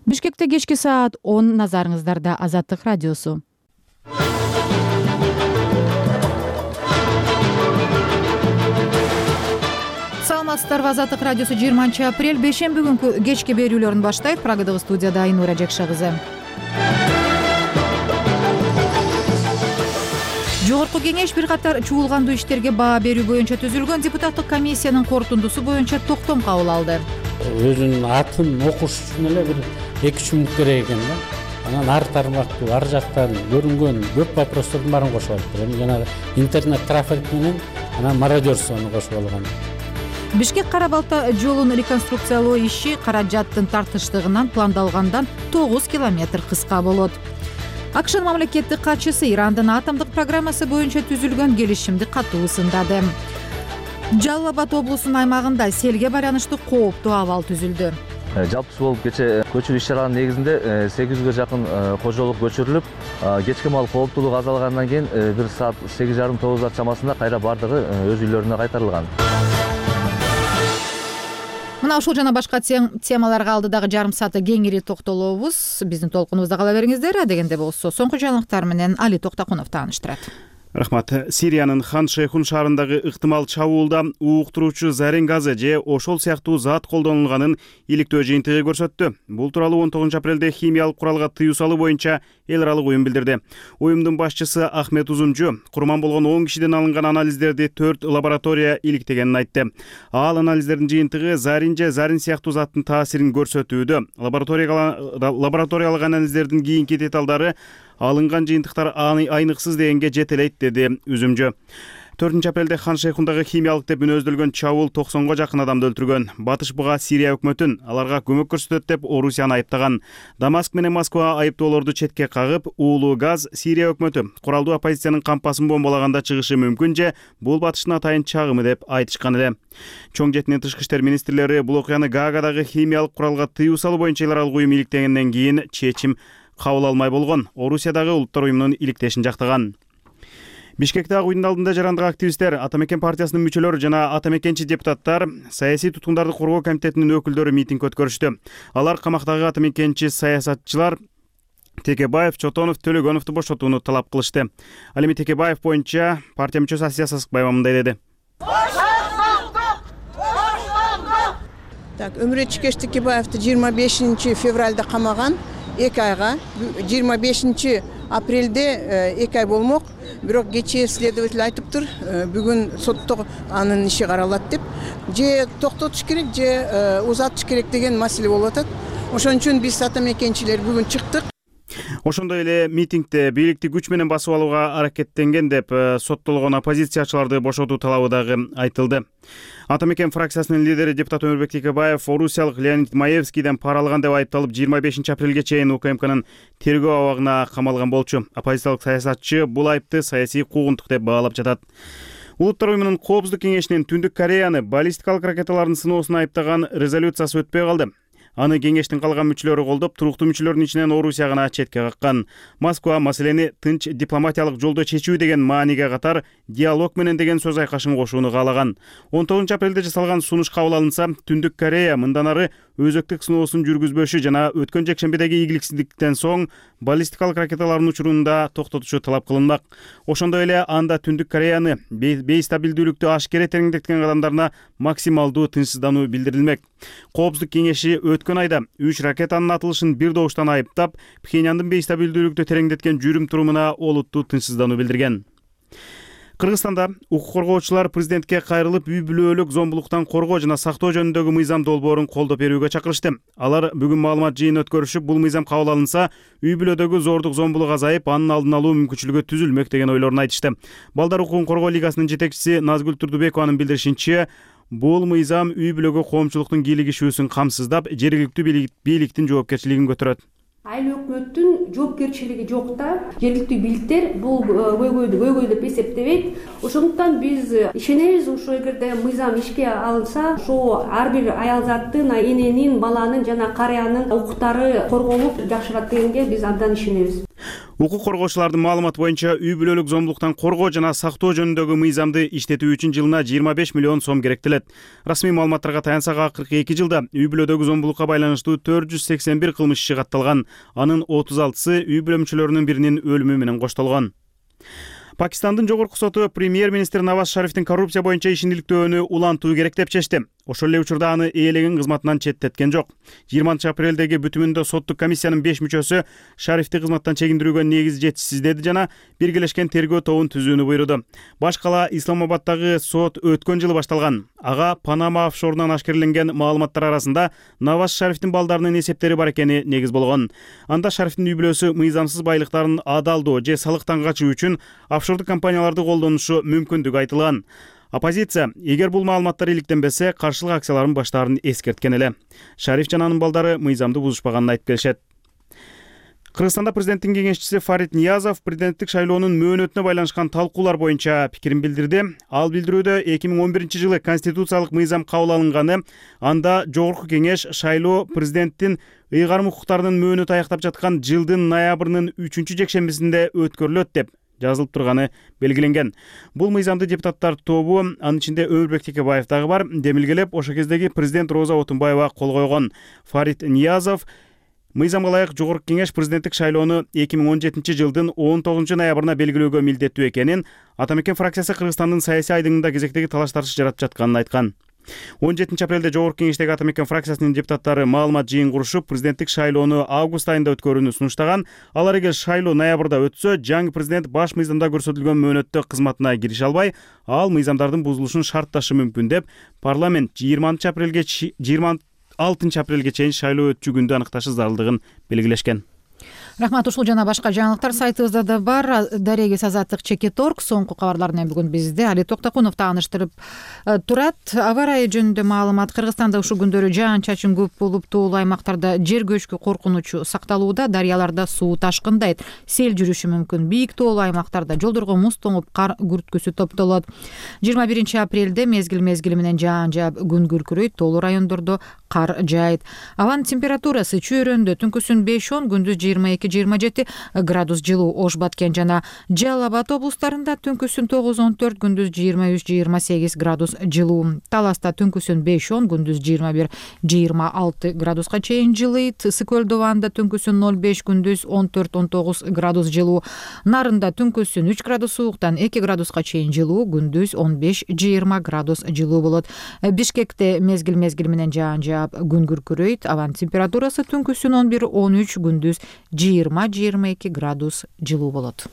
Бишкекте кечки саат 10, назарыңыздарда Азаттык радиосу. Саламатсыздарбы, Азаттык радиосу 20-апрель бейшемби күнкү кечки берүүлөрүн баштайт. Прагадагы студияда Айнура Жекша кызы. Жогорку кеңеш бир катар чуулгандуу иштерге баа берүү боюнча түзүлгөн депутаттык комиссиянын корутундусу боюнча токтом кабыл алды. Өзүнүн атын окуш үчүн эле бир 2-3 мүнөт керек экен да. Анан ар тармактуу, ар жактан көрүнгөн көп вопростордун баарын кошуп алыптыр. Эми жанагы интернет трафик менен анан мародерствону кошуп алган. Бишкек Кара Балта жолун реконструкциялоо иши каражаттын тартыштыгынан пландалгандан 9 километр кыска болот. АКШнын мамлекеттик катчысы Ирандын атомдук программасы боюнча түзүлгөн келишимди катуу сындады. Жалал Абад облусунун аймагында селге байланыштуу кооптуу абал түзүлдү. Жалпысы болуп кече көчүрүү иш-чараларынын негизинде 800ге жакын кожолук көчүрүлүп, кечки маал кооптуулугу азалгандан кийин 1 саат 8:30-9 чамасында кайра бардыгы өз үйлөрүнө кайтарылган. Мына ушул жана башка темаларга алдыдагы жарым саатта кеңири токтолобуз. Биздин толкунубузда кала бериңиздер. Адегенде болсо соңку жаңылыктар менен Али Токтакунов тааныштырат. Рахмат. Сириянын Хан Шейхун шаарындагы ыктымал чабуулда ууктуруучу зарин газы же ошол сыяктуу зат колдонулганын иликтөө жыйынтыгы көрсөттү. Бул тууралуу 19-апрелде химиялык куралга тыюу салуу боюнча эл аралык уюм билдирди. Уюмдун башчысы Ахмет Узумжу курман болгон 10 кишиден алынган анализдерди 4 лаборатория иликтегенин айтты. Ал анализдердин жыйынтыгы зарин же зарин сыяктуу заттын таасирин көрсөтүүдө. Лабораториялык анализдердин кийинки деталдары алынган жыйынтыктар айныксыз дегенге жетелейт, деди Үзүмжө. 4-апрелде Хан Шейхундагы химиялык деп үнөздөлгөн чабуул 90га жакын адамды өлтүргөн. Батыш буга Сирия өкмөтүн аларга көмөк көрсөтөт деп Орусияны айыптаган. Дамаск менен Москва айыптоолорду четке кагып, уулуу газ Сирия өкмөтү куралдуу оппозициянын кампасын бомбалаганда чыгышы мүмкүн же бул батыштын атайын чагымы деп айтышкан эле. Чоң жетинин тышкы иштер министрлери бул окуяны Гаагадагы химиялык куралга тыюу салуу боюнча эл аралык уюм иликтегенден кийин чечим кабыл алмай болгон. Орусиядагы улуттар уюмунун иликтешин жактаган. Бишкекте уюмдун алдында жарандык активисттер, Атамекен партиясынын мүчөлөрү жана атамекенчи депутаттар, саясий туткундарды коргоо комитетинин өкүлдөрү митинг өткөрүштү. Алар камактагы атамекенчи саясатчылар Текебаев, Чотонов, Төлөгөновду бошотууну талап кылышты. Ал эми Текебаев боюнча партия мүчөсү Асия Сасыкбаева мындай деди. Өмүрөт Текебаевди 25 февралда камаган. 2 айга 25 апрелде 2 ай болмок. Бирок кечээ следователь айтыптыр, бүгүн сотто анын иши каралат деп. Же токтотуш керек, же узатыш керек деген маселе болуп атат. Ошон үчүн биз атамекенчилер бүгүн чыктык. Ошондой эле митингде бийликти күч менен басып алууга аракеттенген деп соттолгон оппозициячыларды бошотуу талабы дагы айтылды. Атамекен фракциясынын лидери депутат Өмүрбек Текебаев орусиялык Леонид Маевскийден пара алган деп айыпталып 25 апрелге чейин УКМКнын тергөө абагына камалган болчу. Оппозициялык саясатчы бул айыпты саясий куугунтук деп баалап жатат. Улуттар уюмунун коопсуздук кеңешинин Түндүк Кореяны баллистикалык ракеталардын сыноосуна айыптаган резолюциясы өтпөй калды. Аны кеңештин калган мүчөлөрү колдоп, туруктуу мүчөлөрдүн ичинен Орусия гана четке каккан. Москва маселени тынч дипломатиялык жолдо чечүү деген мааниге катар диалог менен деген сөз айкашын кошууну каалаган. 19-апрелде жасалган сунуш кабыл алынса, Түндүк Корея мындан ары өзөктүк сыноосун жүргүзбөшү жана өткөн жекшембидеги ийгиликсиздиктен соң баллистикалык ракеталардын учурун да токтотушу талап кылынмак. Ошондой эле анда Түндүк Кореяны бейстабилдүүлүктү ашкере тереңдеткен кадамдарына максималдуу тынчсыздануу билдирилмек. Коопсуздук кеңеши өткөн айда 3 ракетанын атылышын бир добуштан айыптап, Пхеньяндын бейстабилдүүлүктү тереңдеткен жүрүм турумуна олуттуу тынчсыздануу билдирген. Кыргызстанда укук коргоочулар президентке кайрылып үй бүлөлүк зомбулуктан коргоо жана сактоо жөнүндөгү мыйзам долбоорун колдоп берүүгө чакырышты. Алар бүгүн маалымат жыйын өткөрүшүп, бул мыйзам кабыл алынса, үй бүлөдөгү зордук зомбулук азайып, анын алдын алуу мүмкүнчүлүгү түзүлмөк деген ойлорун айтышты. Балдар укугун коргоо лигасынын жетекчиси Назгүл Турдубекованын билдиришинче, бул мыйзам үй бүлөгө коомчулуктун кийлигишүүсүн камсыздап, жергиликтүү бийликтин жоопкерчилигин көтөрөт. Айыл өкмөттүн жоопкерчилиги жок да. Жергиликтүү бийликтер бул көйгөйдү деп эсептебейт. Ошондуктан биз ишенебиз, ошо эгерде мыйзам ишке алынса, ошо ар бир аялзаттын, эненин, баланын жана карыянын укуктары корголуп жакшырат дегенге биз абдан ишенебиз. Укук коргоочулардын маалыматы боюнча үй бүлөлүк зомбулуктан коргоо жана сактоо жөнүндөгү мыйзамды иштетүү үчүн жылына 25 миллион сом керектелет. Расмий маалыматтарга таянсак, акыркы 2 жылда үй бүлөдөгү зомбулукка байланыштуу 481 кылмыш иши катталган. Анын 36сы үй бүлө мүчөлөрүнүн биринин өлүмү менен коштолгон. Пакистандын жогорку соту премьер-министр Наваз Шарифтин коррупция боюнча ишин иликтөөнү улантуу керек деп чечти. Ошол эле учурда аны ээлеген кызматынан четтеткен жок. 20-апрелдеги бүтүмүндө соттук комиссиянын 5 мүчөсү Шарифти кызматтан чегиндирүүгө негиз жетишсиздеди жана биргелешкен тергөө тобун түзүүнү буйруду. Баш кала Исламабаддагы сот өткөн жылы башталган. Ага Панама офшорунан ашкереленген маалыматтар арасында Наваз Шарифтин балдарынын эсептери бар экени негиз болгон. Анда Шарифтин үй бүлөсү мыйзамсыз байлыктарын адалдоо же салыктан качуу үчүн офшордук компанияларды колдонушу мүмкүндүгү айтылган. Оппозиция эгер бул маалыматтар иликтенбесе, каршылык акцияларын баштаарын эскерткен эле. Шариф жана анын балдары мыйзамды бузушпаганын айтып келишет. Кыргызстанда президенттин кеңешчиси Фарид Ниязов президенттик шайлоонун мөөнөтүнө байланышкан талкуулар боюнча пикирин билдирди. Ал билдирүүдө 2011 жылы конституциялык мыйзам кабыл алынганы, анда жогорку кеңеш шайлоо президенттин ыйгарым укуктарынын мөөнөтү аяктап жаткан жылдын ноябрынын 3-жекшембисинде өткөрүлөт деп жазылып турганы белгиленген. Бул мыйзамды депутаттар тобу, анын ичинде Өмүрбек Текебаев дагы бар, демилгелеп, ошол кездеги президент Роза Отунбаева кол койгон. Фарид Ниязов мыйзамга ылайык жогорку кеңеш президенттик шайлоону 2017 жылдын 19 ноябрына белгилөөгө милдеттүү экенин, Атамекен фракциясы Кыргызстандын саясий айдыңында кезектеги талаш-тартыш жаратып жатканын айткан. 17 апрелде жогорку кеңештеги Атамекен фракциясынын депутаттары маалымат жыйын курушуп, президенттик шайлоону август айында өткөрүүнү сунуштаган. Алар эгер шайлоо ноябрда өтсө, жаңы президент баш мыйзамда көрсөтүлгөн мөөнөттө кызматына кирише албай, ал мыйзамдардын бузулушун шартташы мүмкүн деп, парламент 26 апрелге чейин шайлоо өтчү күндү аныкташы зарылдыгын белгилешкен. Рахмат. Ушул жана башка жаңылыктар сайтыбызда да бар. Дарегиз Азаттык Чекеторг соңку кабарлар менен бүгүн бизде Али Токтокунов тааныштырып турат. Аба ырайы жөнүндө маалымат. Кыргызстанда ушул күндөрү жаан-чачын көп болуп, тоолуу аймактарда жер көчкү коркунучу сакталууда. Дарыяларда суу ташкындайт, сел жүрүшү мүмкүн. Бийик тоолуу аймактарда жолдорго муз тоңуп, кар күрткүсү топтолот. 21 апрелде мезгил менен жаан жаап, күн күркүрөйт, тоолуу райондордо кар жаайт. Абанын температурасы чөйрөндө түнкүсүн 5-10, күндүз 22-27 градус жылуу. Ош, Баткен жана Жалал Абад облустарында түнкүсүн 9-14, күндүз 23-28 градус жылуу. Таласта түнкүсүн 5-10, күндүз 21-26 градуска чейин жылыйт. Ысык көл Дубанда түнкүсүн 0-5, күндүз 14-19 градус жылуу. Нарында түнкүсүн 3 градус сууктан 2 градуска чейин жылуу, күндүз 15-20 градус жылуу болот. Бишкекте мезгил менен жаан жаап, күн күркүрөйт. Абанын температурасы түнкүсүн 11-13, күндүз 20-22 градус жылуу болот.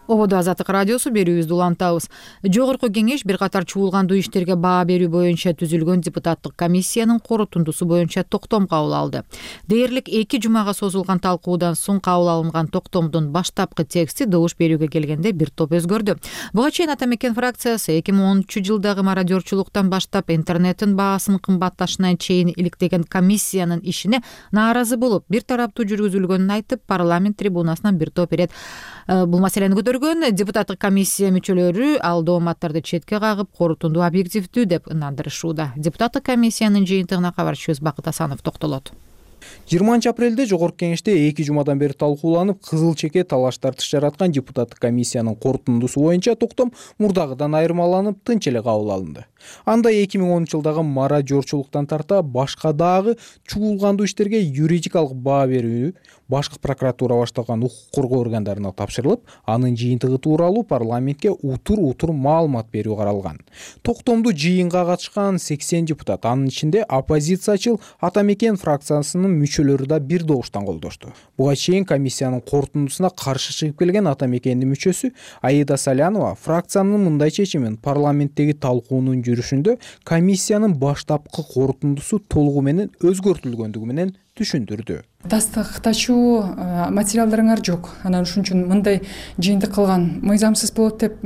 Ободо Азаттык радиосу берүүбүздү улантабыз. Жогорку кеңеш бир катар чуулгандуу иштерге баа берүү боюнча түзүлгөн депутаттык комиссиянын корутундусу боюнча токтом кабыл алды. Дээрлик 2 жумага созулган талкуудан соң кабыл алынган токтомдун баштапкы тексти добуш берүүгө келгенде бир топ өзгөрдү. Буга чейин Атамекен фракциясы 2013 жылдагы мародерчулуктан баштап интернеттин баасын кымбатташына чейин иликтеген комиссиянын ишине нааразы болуп, бир тараптуу жүргүзүлгөнүн айтып, парламент трибунасынан бир топ ирет бул маселени көтөргөн. Депутаттык комиссия мүчөлөрү ал дооматтарды четке кагып, корутунду объективдүү деп ынандырышууда. Депутаттык комиссиянын жыйынтыгына кабарчыбыз Бакыт Асанов токтолот. 20 апрелде жогорку кеңеште 2 жумадан бери талкууланып, кызыл чеке талаш-тартыш жараткан депутаттык комиссиянын корутундусу боюнча токтом мурдагыдан айырмаланып, тынч эле кабыл алынды. Анда 2010 жылдагы мародерчулуктан тарта башка дагы чуулгандуу иштерге юридикалык баа берүү башкы прокуратура башталган укук коргоо органдарына тапшырылып, анын жыйынтыгы тууралуу парламентке утур маалымат берүү каралган. Токтомду жыйынга катышкан 80 депутат, анын ичинде оппозициячыл Атамекен фракциясынын мүчөлөрү да бир добуштан колдошту. Буга чейин комиссиянын корутундусуна каршы чыгып келген Атамекендин мүчөсү Аида Салянова фракциянын мындай чечимин парламенттеги талкуунун жүрүшүндө комиссиянын баштапкы корутундусу толугу менен өзгөртүлгөндүгү менен түшүндүрдү. Тастыктачуу материалдарыңар жок. Анан ушун үчүн мындай жыйынтык кылган мыйзамсыз болот деп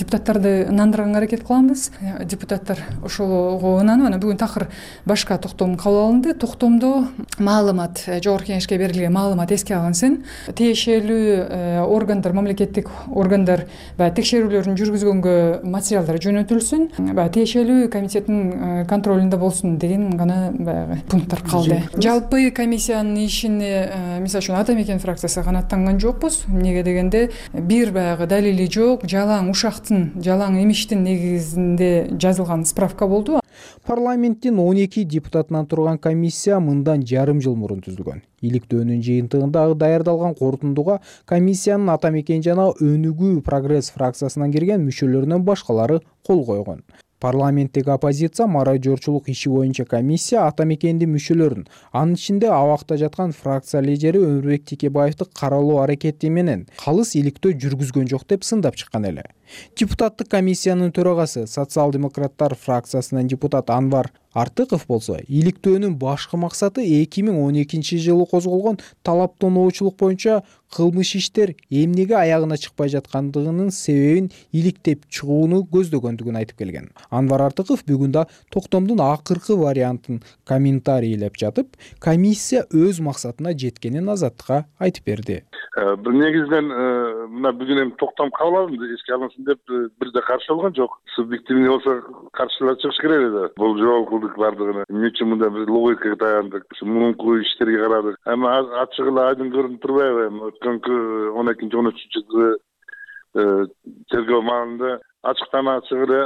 депутаттарды ынандырганга аракет кылабыз. Депутаттар ошого ынанып, анан бүгүн такыр башка токтом кабыл алынды. Токтомдо маалымат, жогорку кеңешке берилген маалымат эске алынсын. Тиешелүү органдар, мамлекеттик органдар баягы текшерүүлөрүн жүргүзгөнгө материалдар жөнөтүлсүн. Баягы тиешелүү комитеттин контролунда болсун деген гана баягы пункттар калды. Жалпы комиссиянын ишине мисалы үчүн Ата Мекен фракциясы канааттанган жокпуз. Эмнеге дегенде бир баягы далили жок, жалаң ушактын, жалаң эмиштин негизинде жазылган справка болду. Парламенттин 12 депутатынан турган комиссия мындан жарым жыл мурун түзүлгөн. Иликтөөнүн жыйынтыгында даярдалган корутундуга комиссиянын Ата Мекен жана Өнүгүү Прогресс фракциясынан кирген мүчөлөрүнөн башкалары кол койгон. Парламенттик оппозиция мародёрчулук иши боюнча комиссия Ата Мекендин мүчөлөрүн, анын ичинде абакта жаткан фракция лидери Өмүрбек Текебаевди каралоо аракети менен калыс иликтөө жүргүзгөн жок деп сындап чыккан эле. Депутаттык комиссиянын төрагасы социал-демократтар фракциясынан депутат Анвар Артыков болсо, иликтөөнүн башкы максаты 2012 жылы козголгон талаптоочулук боюнча кылмыш иштер эмнеге аягына чыкпай жаткандыгынын себебин иликтеп чыгууну көздөгөндүгүн айтып келген. Анвар Артыков бүгүн да токтомдун акыркы вариантын комментарийлеп жатып, комиссия өз максатына жеткенин Азаттыкка айтып берди. Негизинен мына бүгүн эми токтом кабыл алынды, эске алынсын деп бирде каршы болгон жок. Субъективный болсо каршылар чыгыш керек эле. Бул жол кылдык бардыгына. Эмне үчүн мындай бир логикага таяндык, мурунку иштерге карадык. Эми ачык эле айдын көрүнүп турбайбы? Эми өткөнкү 12-13 жылы тергөө маалында ачыктан ачык эле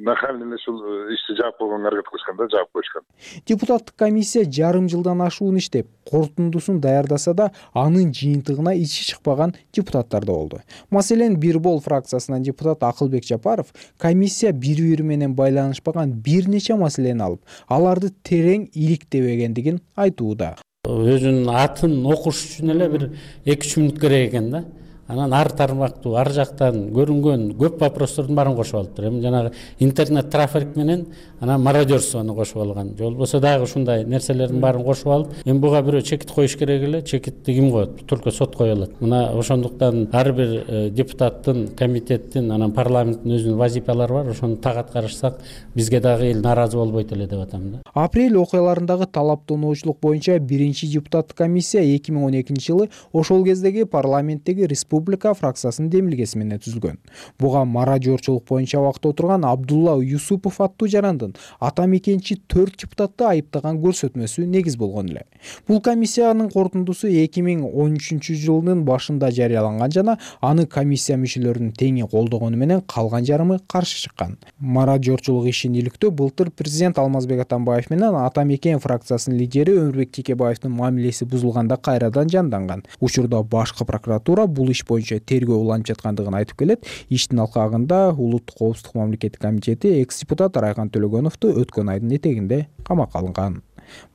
нахальный эле ушул ишти жаап койгонго аракет кылышкан да, жаап коюшкан. Депутаттык комиссия жарым жылдан ашуун иштеп, корутундусун даярдаса да, анын жыйынтыгына ичи чыкпаган депутаттар да болду. Маселен, Бир Бол фракциясынан депутат Акылбек Жапаров комиссия бири-бири менен байланышпаган бир нече маселени алып, аларды терең иликтебегендигин айтууда. Өзүнүн атын окуш үчүн эле бир 2-3 мүнөт керек экен да. Анан ар тармактуу, ар жактан көрүнгөн көп вопростордун баарын кошуп алыптыр. Эми жанагы интернет трафик менен анан мародерствону кошуп алган. Же болбосо дагы ушундай нерселердин баарын кошуп алып, эми буга бирөө чекит коюш керек эле. Чекитти ким коет? Только сот кое алат. Мына ошондуктан ар бир депутаттын, комитеттин, анан парламенттин өзүнүн вазифалары бар. Ошону так аткарышсак, бизге дагы эл нааразы болбойт эле деп атам да. Апрель окуяларындагы талаптоочулук боюнча биринчи депутаттык комиссия 2012 жылы ошол кездеги парламенттеги Республика фракциясынын демилгеси менен түзүлгөн. Буга мародёрчулук боюнча абакта отурган Абдулла Юсупов аттуу жарандын Ата Мекенчи 4 депутатты айыптаган көрсөтмөсү негиз болгон эле. Бул комиссиянын корутундусу 2013 жылдын башында жарыяланган жана аны комиссия мүчөлөрүнүн теңи колдогону менен калган жарымы каршы чыккан. Мародёрчулук ишин иликтөө былтыр президент Алмазбек Атамбаев менен Ата Мекен фракциясынын лидери Өмүрбек Текебаевдин мамилеси бузулганда кайрадан жанданган. Учурда башкы прокуратура бул иш боюнча тергөө уланып жаткандыгын айтып келет. Иштин алкагында Улуттук коопсуздук мамлекеттик комитети экс-депутат Райхан Төлөгөновду өткөн айдын этегинде камакка алынган.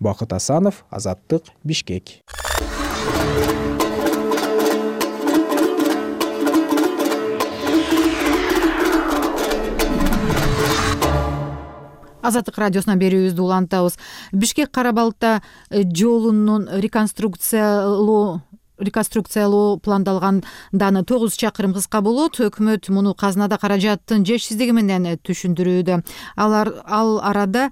Бакыт Асанов, Азаттык, Бишкек. Азаттык радиосунан берүүбүздү улантабыз. Бишкек Кара-Балта жолунун реконструкциялоо пландалганданы 9 чакырым кыска болот. Өкмөт муну казынада каражаттын жетишсиздиги менен түшүндүрүүдө. Ал арада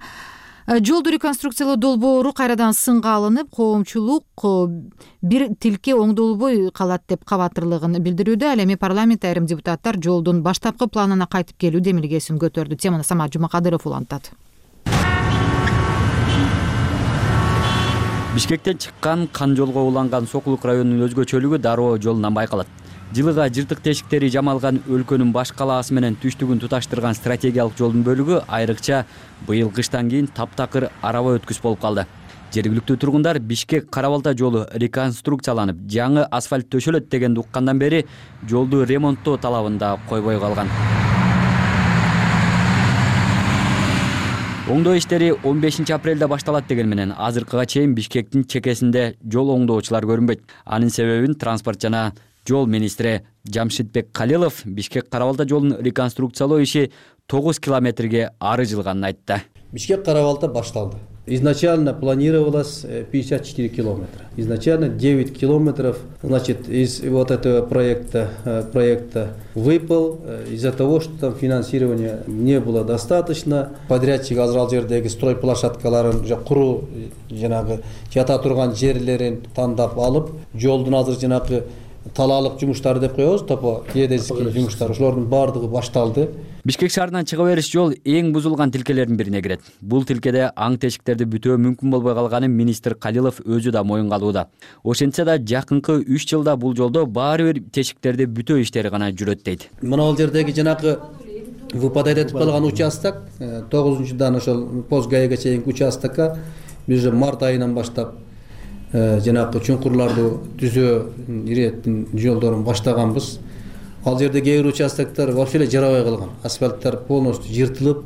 жолду реконструкциялоо долбоору кайрадан сынга алынып, коомчулук бир тилке оңдолбой калат деп кабатырлыгын билдирүүдө. Ал эми парламент айрым депутаттар жолдун баштапкы планына кайтып келүү демилгесин көтөрдү. Теманы Самат Жумакадыров улантат. Бишкектен чыккан кан жолго уланган Сокулук районунун өзгөчөлүгү дароо жолунан байкалат. Жылыга жыртык тешиктери жамалган өлкөнүн баш калаасы менен түштүгүн туташтырган стратегиялык жолдун бөлүгү айрыкча быйыл кыштан кийин таптакыр араба өткүс болуп калды. Жергиликтүү тургундар Бишкек Кара-Балта жолу реконструкцияланып, жаңы асфальт төшөлөт дегенди уккандан бери жолду ремонттоо талабын да койбой калган. Оңдоо иштери 15 апрелде башталат деген менен азыркыга чейин Бишкектин чекесинде жол оңдоочулар көрүнбөйт. Анын себебин транспорт жана жол министри Жамшитбек Калилов Бишкек Кара-Балта жолун реконструкциялоо иши 9 километрге ары жылганын айтты. Бишкек Кара-Балта башталды. Изначально планировалось 54 километра. Изначально 9 километров, значит, из вот этого проекта выпал из-за того, что там финансирования не было достаточно. Подрядчик азыр ал жердеги стройплощадкаларын куруу жанагы жата турган жерлерин тандап алып, жолдун азыр жанагы талаалык жумуштары деп коебуз, топо геодезический жумуштар, ошолордун баардыгы башталды. Бишкек шаарынан чыга бериш жол эң бузулган тилкелердин бирине кирет. Бул тилкеде аң тешиктерди бүтөө мүмкүн болбой калганын министр Калилов өзү да моюнга алууда. Ошентсе да жакынкы 3 жылда бул жолдо баары бир тешиктерди бүтөө иштери гана жүрөт дейт. Мына ал жердеги жанагы выпадать этип калган участок 9-дан ошол Позгаеге чейинки участокко биз уже март айынан баштап жанагы чуңкурларды түзөө иреттин жолдорун баштаганбыз. Ал жерде кээ бир участоктор вообще эле жарабай калган. Асфальттар полностью жыртылып,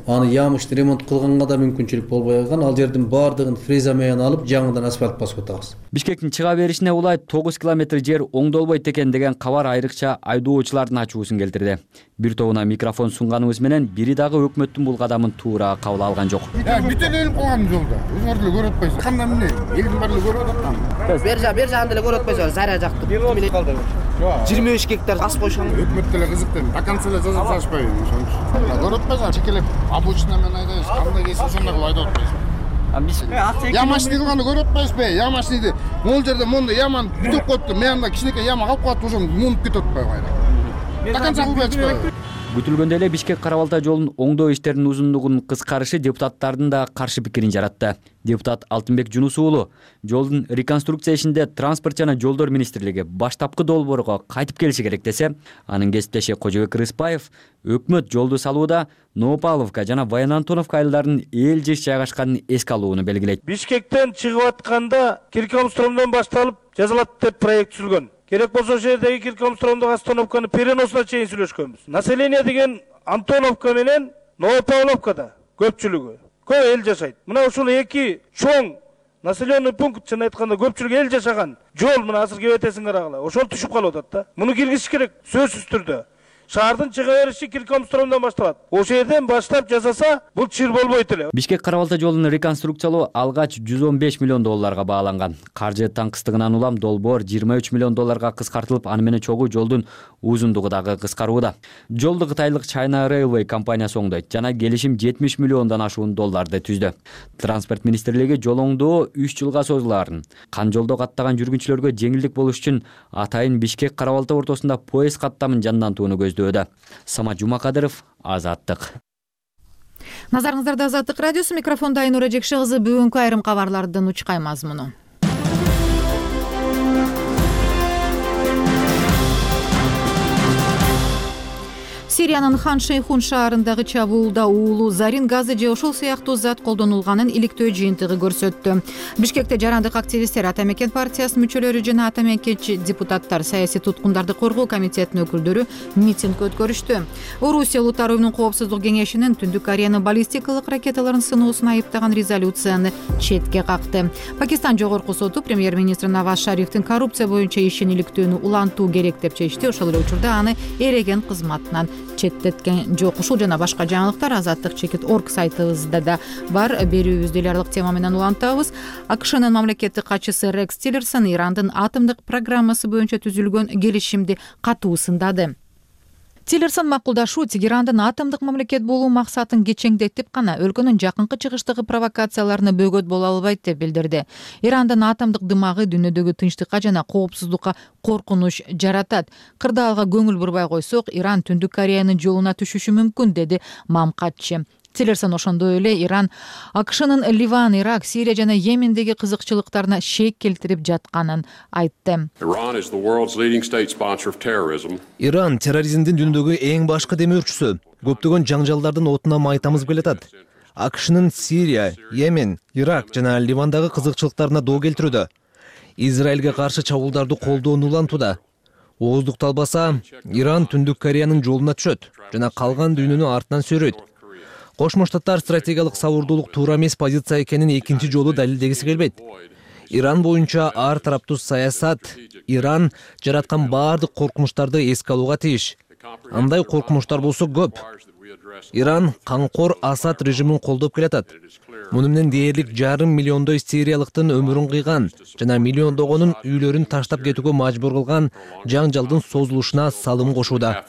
аны ямыштуу ремонт кылганга да мүмкүнчүлүк болбой калган. Ал жердин баардыгын фреза менен алып, жаңыдан асфальт басып атабыз. Бишкектин чыга беришине улай 9 километр жер оңдолбойт экен деген кабар айрыкча айдоочулардын ачуусун келтирди. Бир тобуна микрофон сунганыбыз менен бири дагы өкмөттүн бул кадамын туура кабыл алган жок. Бүт эле өлүп калган жолдо. Өзүңөр деле көрүп атпайсыз. Кандай эмне? Элдин баары көрүп атат. Бер жагын деле көрүп атпайсыз. Заря жакты. 25 гектар ас койшон. Өкмөт деле кызыктын. До конца эле жазып салышпайбы ошончу. Көрүп атпайсыз. Чекелеп обочина менен айдайбыз. Кандай келсе ошондой кылып айдап атпайсыз. Ямашны кылганды көрүп атпайсызбы? Ямашныйды могул жерде мондай яманы бүтүп коюпту. Мында кичинекей яма калып калат, ошону муунуп кетип атпайбы кайра. До конца кылбай атпайбы? Күтүлгөндөй эле Бишкек Кара Балта жолунун оңдоо иштеринин узундугунун кыскарышы депутаттардын да каршы пикирин жаратты. Депутат Алтынбек Жунус уулу жолдун реконструкция ишинде транспорт жана жолдор министрлиги баштапкы долбоорго кайтып келиши керек десе, анын кесиптеши Кожобек Рыспаев өкмөт жолду салууда Новопавловка жана Баян Антоновка айылдарынын эл жеш жайгашканын эске алууну белгилейт. Бишкектен чыгып атканда Киркомстромдон башталып жазылат деп проект түзүлгөн. Керек болсо ошол жердеги Киркомстромдук остановканы переносуна чейин сүйлөшкөнбүз. Население деген Антоновка менен Новопавловкада көпчүлүгү көп эл жашайт. Мына ушул эки чоң населенный пункт чын айтканда көпчүлүк эл жашаган жол мына азыр кебетесиң карагыла. Ошол түшүп калып атат да. Муну киргизиш керек сөзсүз түрдө. Шаардын чыга бериши Киркомстромдон башталат. Ошол жерден баштап жасаса, бул чыр болбойт эле. Бишкек Кара Балта жолун реконструкциялоо алгач 115 миллион долларга бааланган. Каржы таңкыстыгынан улам долбоор 23 миллион долларга кыскартылып, аны менен чогуу жолдун узундугу дагы кыскарууда. Жолду кытайлык China Railway компаниясы оңдойт жана келишим 70 миллиондон ашуун долларды түздү. Транспорт министрлиги жол оңдоо 3 жылга созулаарын, кан жолдо каттаган жүргүнчүлөргө жеңилдик болуш үчүн атайын Бишкек Кара Балта ортосунда поезд каттамын жандантууну көздөдө. Самат Жумакадыров, Азаттык. Назарыңыздарда Азаттык радиосу, микрофонда Айнура Жекши кызы. Бүгүнкү айрым кабарлардын учкай мазмуну. Сириянын Хан Шейхун шаарындагы чабуулда уулуу зарин газы же ошол сыяктуу зат колдонулганын иликтөө жыйынтыгы көрсөттү. Бишкекте жарандык активисттер, Ата Мекен партиясынын мүчөлөрү жана ата мекенчи депутаттар, саясий туткундарды коргоо комитетинин өкүлдөрү митинг өткөрүштү. Орусия Улуттар уюмунун коопсуздук кеңешинин Түндүк Кореянын баллистикалык ракеталарын сыноосун айыптаган резолюцияны четке какты. Пакистан жогорку соту премьер-министр Наваз Шарифтин коррупция боюнча ишин иликтөөнү улантуу керек деп чечти. Ошол эле учурда аны эреген кызматынан четтеткен жок. Ушул жана башка жаңылыктар Азаттык.org сайтыбызда да бар. Берүүбүздү эле тема менен улантабыз. АКШнын мамлекеттик катчысы Рекс Тиллерсон Ирандын атомдук программасы боюнча түзүлгөн келишимди катуу сындады. Тиллерсон макулдашуу Тегерандын атомдук мамлекет болуу максатын кечеңдетип гана өлкөнүн жакынкы чыгыштагы провокацияларына бөгөт боло албайт деп билдирди. Ирандын атомдук дымагы дүйнөдөгү тынчтыкка жана коопсуздукка коркунуч жаратат. Кырдаалга көңүл бурбай койсок, Иран Түндүк Кореянын жолуна түшүшү мүмкүн, деди мамкатчы. Тиллерсон ошондой эле Иран АКШнын Ливан, Ирак, Сирия жана Йемендеги кызыкчылыктарына шек келтирип жатканын айтты. Иран терроризмдин дүйнөдөгү эң башкы демөөрчүсү. Көптөгөн жаңжалдардын отуна май тамызып келатат. АКШнын Сирия, Йемен, Ирак жана Ливандагы кызыкчылыктарына доо келтирүүдө. Израилге каршы чабуулдарды колдоону улантууда. Ооздукту албаса, Иран Түндүк Кореянын жолуна түшөт жана калган дүйнөнү артынан сүйрөйт. Кошмо Штаттар стратегиялык сабырдуулук туура эмес позиция экенин экинчи жолу далилдегиси келбейт. Иран боюнча ар тараптуу саясат Иран жараткан баардык коркунучтарды эске алууга тийиш. Андай коркунучтар болсо көп. Иран канкор Асад режимин колдоп келатат. Муну менен дээрлик 1,5 миллиондой сириялыктын өмүрүн кыйган жана миллиондогонун үйлөрүн таштап кетүүгө мажбур кылган жаңжалдын созулушуна салым кошууда.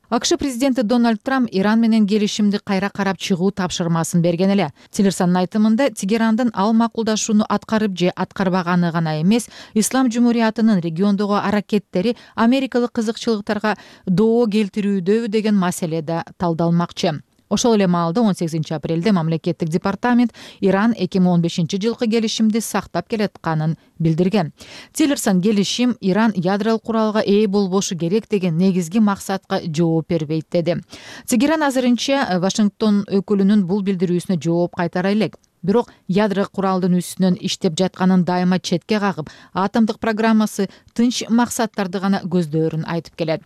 АКШ президенти Дональд Трамп Иран менен келишимди кайра карап чыгуу тапшырмасын берген эле. Тиллерсондун айтымында Тегерандын ал макулдашууну аткарып же аткарбаганы гана эмес, Ислам Жумуриятынын региондогу аракеттери америкалык кызыкчылыктарга доо келтирүүдөбү деген маселе да талдалмакчы. Ошол эле маалда 18 апрелде мамлекеттик департамент Иран 2015 жылкы келишимди сактап келатканын билдирген. Тиллерсон келишим Иран ядролук куралга ээ болбошу керек деген негизги максатка жооп бербейт деди. Тегеран азырынча Вашингтон өкүлүнүн бул билдирүүсүнө жооп кайтара элек. Бирок ядролук куралдын үстүнөн иштеп жатканын дайыма четке кагып, атомдук программасы тынч максаттарды гана көздөрүн айтып келет.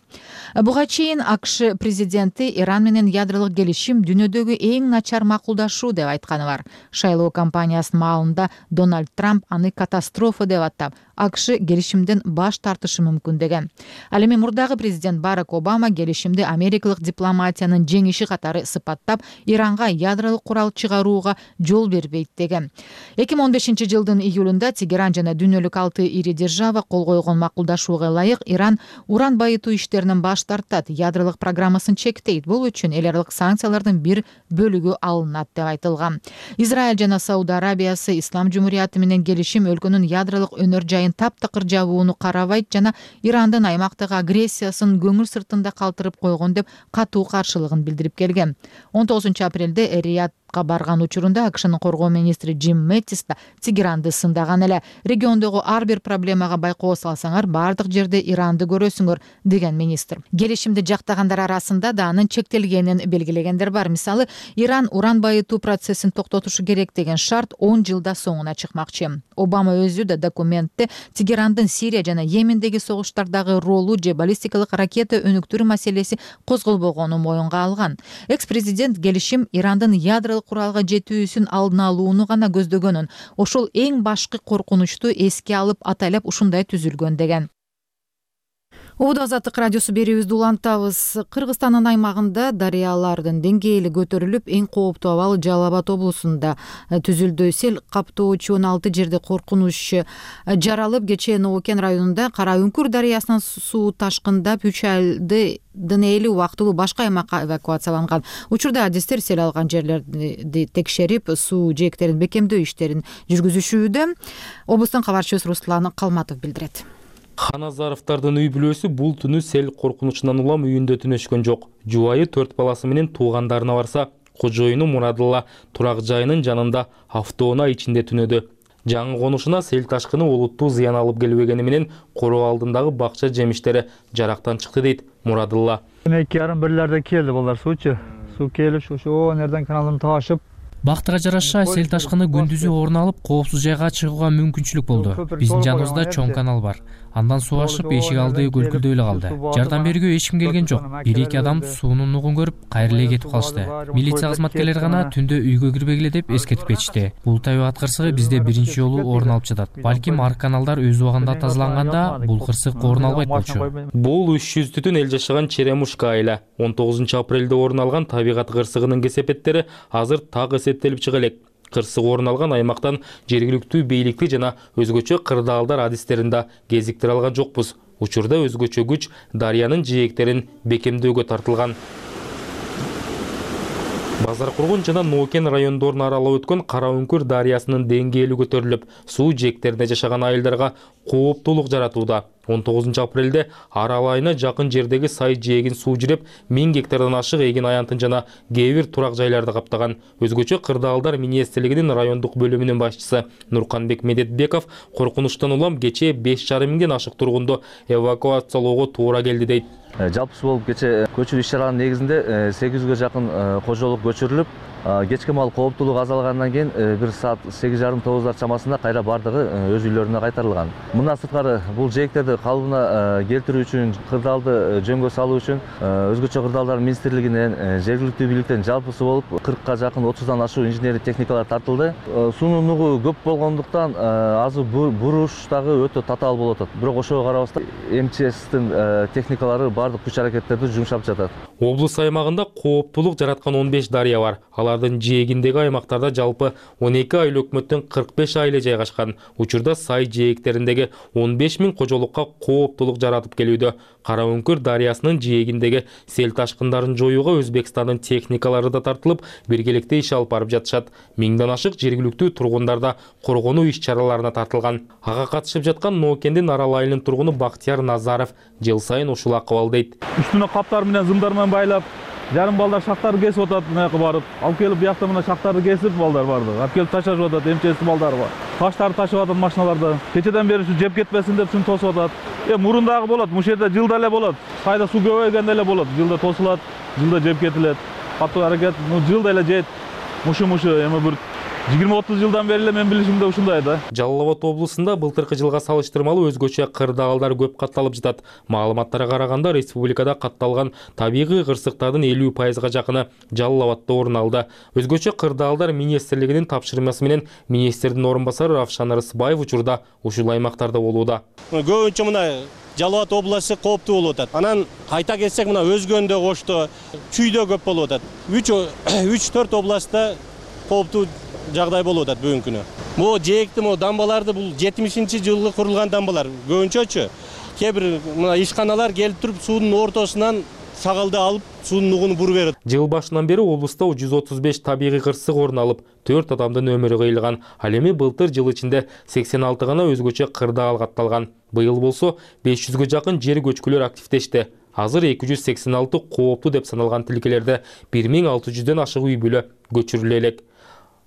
Буга чейин АКШ президенти Иран менен ядролук келишим дүйнөдөгү эң начар макулдашуу деп айтканы бар. Шайлоо кампаниясынын маалында Дональд Трамп аны катастрофа деп атап, АКШ келишимден баш тартышы мүмкүн деген. Ал эми мурдагы президент Барак Обама келишимди америкалык дипломатиянын жеңиши катары сыпаттап, Иранга ядролук курал чыгарууга жол бербейт деген. 2015 жылдын июлунда Тегеран жана дүйнөлүк 6 ири держава кол койгон макулдашууга ылайык Иран уран байытуу иштеринен баш тартат, ядролук программасын чектейт. Бул үчүн эл аралык санкциялардын бир бөлүгү алынат деп айтылган. Израиль жана Сауд Арабиясы Ислам Жумурияты менен келишим өлкөнүн ядролук өнөр жайын таптакыр жабууну карабайт жана Ирандын аймактагы агрессиясын көңүл сыртында калтырып койгон деп катуу каршылыгын билдирип келген. 19 апрелде Риядга барган учурунда АКШнын коргоо министри Джим Мэттис да Тегеранды сындаган эле. Региондогу ар бир проблемага байкоо салсаңар, бардык жерде Иранды көрөсүңөр деген министр. Келишимди жактагандар арасында да анын чектелгенин белгилегендер бар. Мисалы, Иран уран байытуу процессин токтотушу керек деген шарт 10 жылда соңуна чыкмакчы. Обама өзү да документте Тегерандын Сирия жана Йемендеги согуштардагы ролу же баллистикалык ракета өнүктүрүү маселеси козголбогонун моюнга алган. Экс-президент келишим Ирандын ядролук куралга жетүүсүн алдын алууну гана көздөгөнүн, ошол эң башкы коркунучту эске алып атайлап ушундай түзүлгөн деген. Убада Азаттык радиосу берүүбүздү улантабыз. Кыргызстандын аймагында дарыялардын деңгээли көтөрүлүп, эң кооптуу абал Жалал Абад облусунда түзүлдү. Сел каптоочу 16 жерде коркунуч жаралып, кечээ Новокен районунда Кара Үңкүр дарыясынан суу ташкындап 3 айдын эли убактылуу башка аймакка эвакуацияланган. Учурда адистер сел алган жерлерди текшерип, суу жээктерин бекемдөө иштерин жүргүзүшүүдө. Облустун кабарчысы Руслан Калматов билдирет. Ханазаровдардын үй бүлөсү бул түнү сел коркунучунан улам үйүндө түнөшкөн жок. Жубайы 4 баласы менен туугандарына барса, кожоюну Мурадылла турак жайынын жанында автоунаа ичинде түнөдү. Жаңы конушуна сел ташкыны олуттуу зыян алып келбегени менен короо алдындагы бакча жемиштери жарактан чыкты дейт Мурадылла. 2:30-1:00 келди булар суучу. Суу келип ошо нерден каналдан ташып, бактыга жараша сел ташкыны күндүзү орун алып, коопсуз жайга чыгууга мүмкүнчүлүк болду. Биздин жаныбызда чоң канал бар. Андан суу ашып, эшик алды көлкүлдөй эле калды. Жардам берүүгө эч ким келген жок. 1-2 адам суунун нугун көрүп, кайра эле кетип калышты. Милиция кызматкерлери гана түндө үйгө кирбегиле деп эскертип кетишти. Бул табигат кырсыгы бизде биринчи жолу орун алып жатат. Балким ар каналдар өз убагында тазаланганда бул кырсык орун албайт болчу. Бул 300 түтүн эл жашаган Черемушка айла. 19 апрелде орун алган табигат кырсыгынын кесепеттери азыр так эсептелип чыга элек. Кырсык орун алган аймактан жергиликтүү бийликти жана өзгөчө кырдаалдар адистерин да кезиктире алган жокпуз. Учурда өзгөчө күч дарыянын жээктерин бекемдөөгө тартылган. Базаркургун жана Нокен райондорун аралап өткөн Кара Үңкүр дарыясынын деңгээли көтөрүлүп, суу жээктеринде жашаган айылдарга кооптуулук жаратууда. 19 апрелде Арал айына жакын жердеги сай жээгин суу жиреп, 1000 гектардан ашык эгин аянтын жана кээ бир турак жайларды каптаган. Өзгөчө кырдаалдар министрлигинин райондук бөлүмүнүн башчысы Нурканбек Медетбеков коркунучтан улам кечээ 5,5 миңден ашык тургунду эвакуациялоого туура келди дейт. Жалпысы болуп кечээ көчүрүү иш-чараларынын негизинде 800гө жакын кожолук көчүрүлүп, кечки маал кооптуулугу азалгандан кийин 1 саат 8:30-9 чамасында кайра бардыгы өз үйлөрүнө кайтарылган. Мындан сырткары бул жээктерди калыбына келтирүү үчүн, кырдаалды жөнгө салуу үчүн өзгөчө кырдаалдар министрлигинен, жергиликтүү бийликтен жалпысы болуп 40ка жакын 30дан ашуу инженердик техникалар тартылды. Суунун нугу көп болгондуктан азыр буруш дагы өтө татаал болуп атат. Бирок ошого карабастан МЧСтин техникалары бардык күч аракеттерди жумшап жатат. Облус аймагында кооптуулук жараткан 15 дарыя бар. Алардын жээгиндеги аймактарда жалпы 12 айыл өкмөттөн 45 айылы жайгашкан. Учурда сай жээктериндеги 15 000 кожолукка кооптуулук жаратып келүүдө. Кара Өңкүр дарыясынын жээгиндеги сел ташкындарын жоюуга Өзбекстандын техникалары да тартылып, биргеликте иш алып барып жатышат. 1000дан ашык жергиликтүү тургундар да коргонуу иш-чараларына тартылган. Ага катышып жаткан Ноокендин Арал айылынын тургуну Бактияр Назаров жыл сайын ушул акыбал дейт. Үстүнө каптар менен зымдар менен байлап, жарым балдар шактарды кесип атат, мынаяка барып, алып келип бияқта мына шактарды кесип балдар барды. Алып келип ташашып атат, МЧС балдары бар. Таштарды ташып атат машиналарда. Кечеден бери ушу жеп кетпесин деп шуну тосуп атат. Мурун болот, мушу жерде жылда эле болот. Сайда суу көбөйгөндө эле болот. Жылда тосулат, жылда жеп кетилет. Катуу аракет, жылда эле жейт. Мушу эми бир 20-30 жылдан бери эле мен билишимде ушундай да. Жалал Абад облусунда былтыркы жылга салыштырмалуу өзгөчө кырдаалдар көп катталып жатат. Маалыматтарга караганда республикада катталган табигый кырсыктардын 50%га жакыны Жалал Абадда орун алды. Өзгөчө кырдаалдар министрлигинин тапшырмасы менен министрдин орун басары Равшан Рысбаев учурда ушул аймактарда болууда. Көбүнчө мына Жалал Абад областы кооптуу болуп атат. Анан кайта кетсек мына Өзгөндө, Кошто, Чүйдө көп болуп атат. 3-4 областта кооптуу жагдай болуп атат бүгүнкү күнү. Бул жээкти, дамбаларды бул 70-жылы курулган дамбалар. Көбүнчөчү кээ бир мына ишканалар келип туруп суунун ортосунан сагалды алып, суунун нугуну буруп берет. Жыл башынан бери облуста 135 табигый кырсык орун алып, 4 адамдын өмүрү кыйылган. Ал эми былтыр жыл ичинде 86 гана өзгөчө кырдаал катталган. Быйыл болсо 500гө жакын жер көчкүлөр активдешти. Азыр 286 кооптуу деп саналган тилкелерде 1600дөн ашык үй бүлө көчүрүлө элек.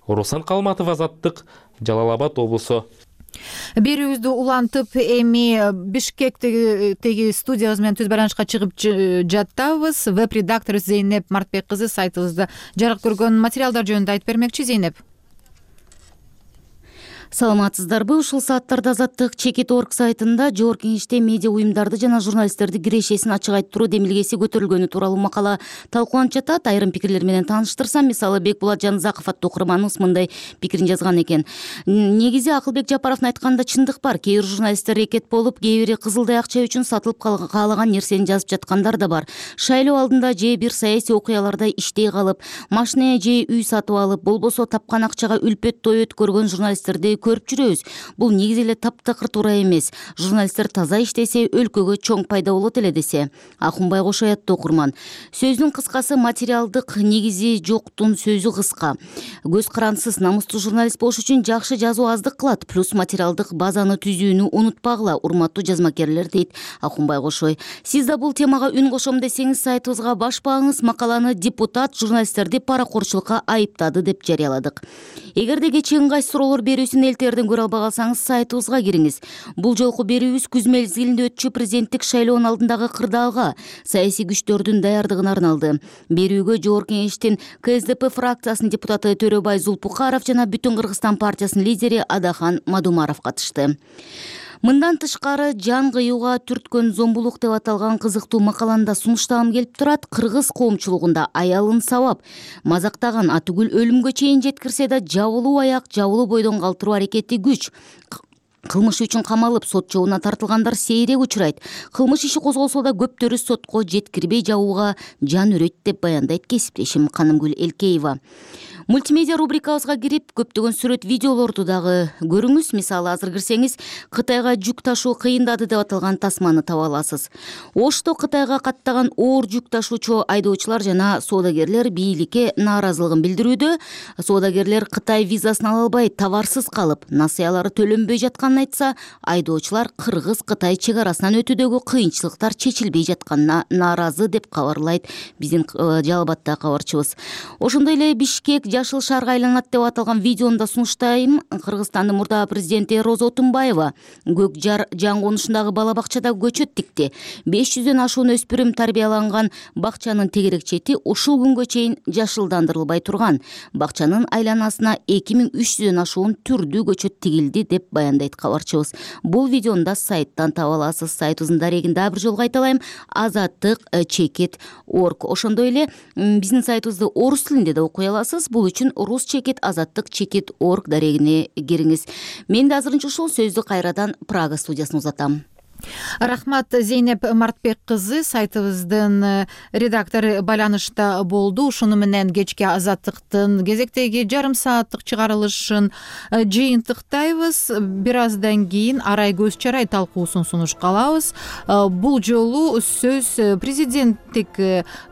Руслан Калматов, Азаттык, Жалал Абад облусу. Берүүбүздү улантып, эми Бишкектеги студиябыз менен түз байланышка чыгып жатабыз. Веб-редактор Зейнеп Мартбек кызы сайтыбызда жарык көргөн материалдар жөнүндө айтып бермекчи. Зейнеп. Саламатсыздарбы? Ушул сааттарда Азаттык Чекит.org сайтында жогорку кеңеште медиа уюмдарды жана журналисттерди кирешесин ачык айттыруу демилгеси көтөрүлгөнү тууралуу макала талкууланып жатат. Айрым пикирлер менен тааныштырсам, мисалы Бекбулат Жанызаков аттуу окурманыбыз мындай пикирин жазган экен. Негизи Акылбек Жапаровдун айтканында чындык бар. Кээ бир журналисттер эрекет болуп, кээ бири кызылдай акча үчүн сатылып каалаган нерсени жазып жаткандар да бар. Шайлоо алдында же бир саясий окуяларда иштей калып, машина же үй сатып алып, болбосо тапкан акчага үлпөт той өткөргөн журналисттерди көрүп жүрөбүз. Бул негизи эле таптакыр туура эмес. Журналисттер таза иштесе, өлкөгө чоң пайда болот эле десе. Акунбай Кошоят окурман. Сөздүн кыскасы материалдык негизи жоктун сөзү кыска. Көз карансыз, намыстуу журналист болуш үчүн жакшы жазуу аздык кылат. Плюс материалдык базаны түзүүнү унутпагыла, урматтуу жазмакерлер, дейт Акунбай Кошой. Сиз да бул темага үн кошом десеңиз, сайтыбызга башпаңыз. Макаланы депутат журналисттерди паракорчулукка айыптады деп жарыяладык. Эгерде кечээ ыңгайсыз суроолор берүүсүн элтерден көрө албай калсаңыз, сайтыбызга кириңиз. Бул жолку берүүбүз күз мезгилинде өтчү президенттик шайлоонун алдындагы кырдаалга, саясий күчтөрдүн даярдыгына арналды. Берүүгө жогорку кеңештин КСДП фракциясынын депутаты Төрөбай Зулпукаров жана Бүтүн Кыргызстан партиясынын лидери Адахан Мадумаров катышты. Мындан тышкары, жан кыюуга түрткөн зомбулук деп аталган кызыктуу макаланда сунуштагым келип турат. Кыргыз коомчулугунда аялын сабап мазактаган, атүгүл өлүмгө чейин жеткирсе да жабылуу аяк, жабылуу бойдон калтыруу аракети күч. Кылмыш үчүн камалып, сот жообуна тартылгандар сейрек учурайт. Кылмыш иши козголсо да көптөрү сотко жеткирбей жабууга жан өрөйт деп баяндайт кесиптешим Канымгүл Элкеева. Мультимедиа рубрикабызга кирип, көптөгөн сүрөт, видеолорду дагы көрүңүз. Мисалы, азыр кирсеңиз, Кытайга жүк ташуу кыйындады деп аталган тасманы таба аласыз. Ошто Кытайга каттаган оор жүк ташуучу айдоочулар жана соодагерлер бийликке нааразылыгын билдирүүдө. Соодагерлер Кытай визасын ала албай, товарсыз калып, насыялары төлөнбөй жатканын жатканын айтса, айдоочулар Кыргыз Кытай чек арасынан өтүүдөгү кыйынчылыктар чечилбей жатканына нааразы деп кабарлайт биздин Жалал Абаддагы кабарчыбыз. Ошондой эле Бишкек жашыл шаарга айланат деп аталган видеону да сунуштайм. Кыргызстандын мурдагы президенти Роза Отунбаева Көк Жар жан конушундагы бала бакчада көчөт тикти. 500дөн ашуун өспүрүм тарбияланган бакчанын тегерек чети ушул күнгө чейин жашылдандырылбай турган. Бакчанын айланасына 2300дөн ашуун түрдүү көчөт тигилди деп баяндайт кабарчыбыз. Бул видеону да сайттан таба аласыз. Сайтыбыздын дарегин дагы бир жолу кайталайм: azattik.org. Ошондой эле биздин сайтыбызды орус тилинде да окуй аласыз. Бул үчүн rus.azattik.org дарегине кириңиз. Мен да азырынча ушул сөздү кайрадан Прага студиясына узатам. Рахмат, Зейнеп Мартбек кызы, сайтыбыздын редактору байланышта болду. Ушуну менен кечки Азаттыктын кезектеги жарым сааттык чыгарылышын жыйынтыктайбыз. Бир аздан кийин арай көз чарай талкуусун сунушка алабыз. Бул жолу сөз президенттик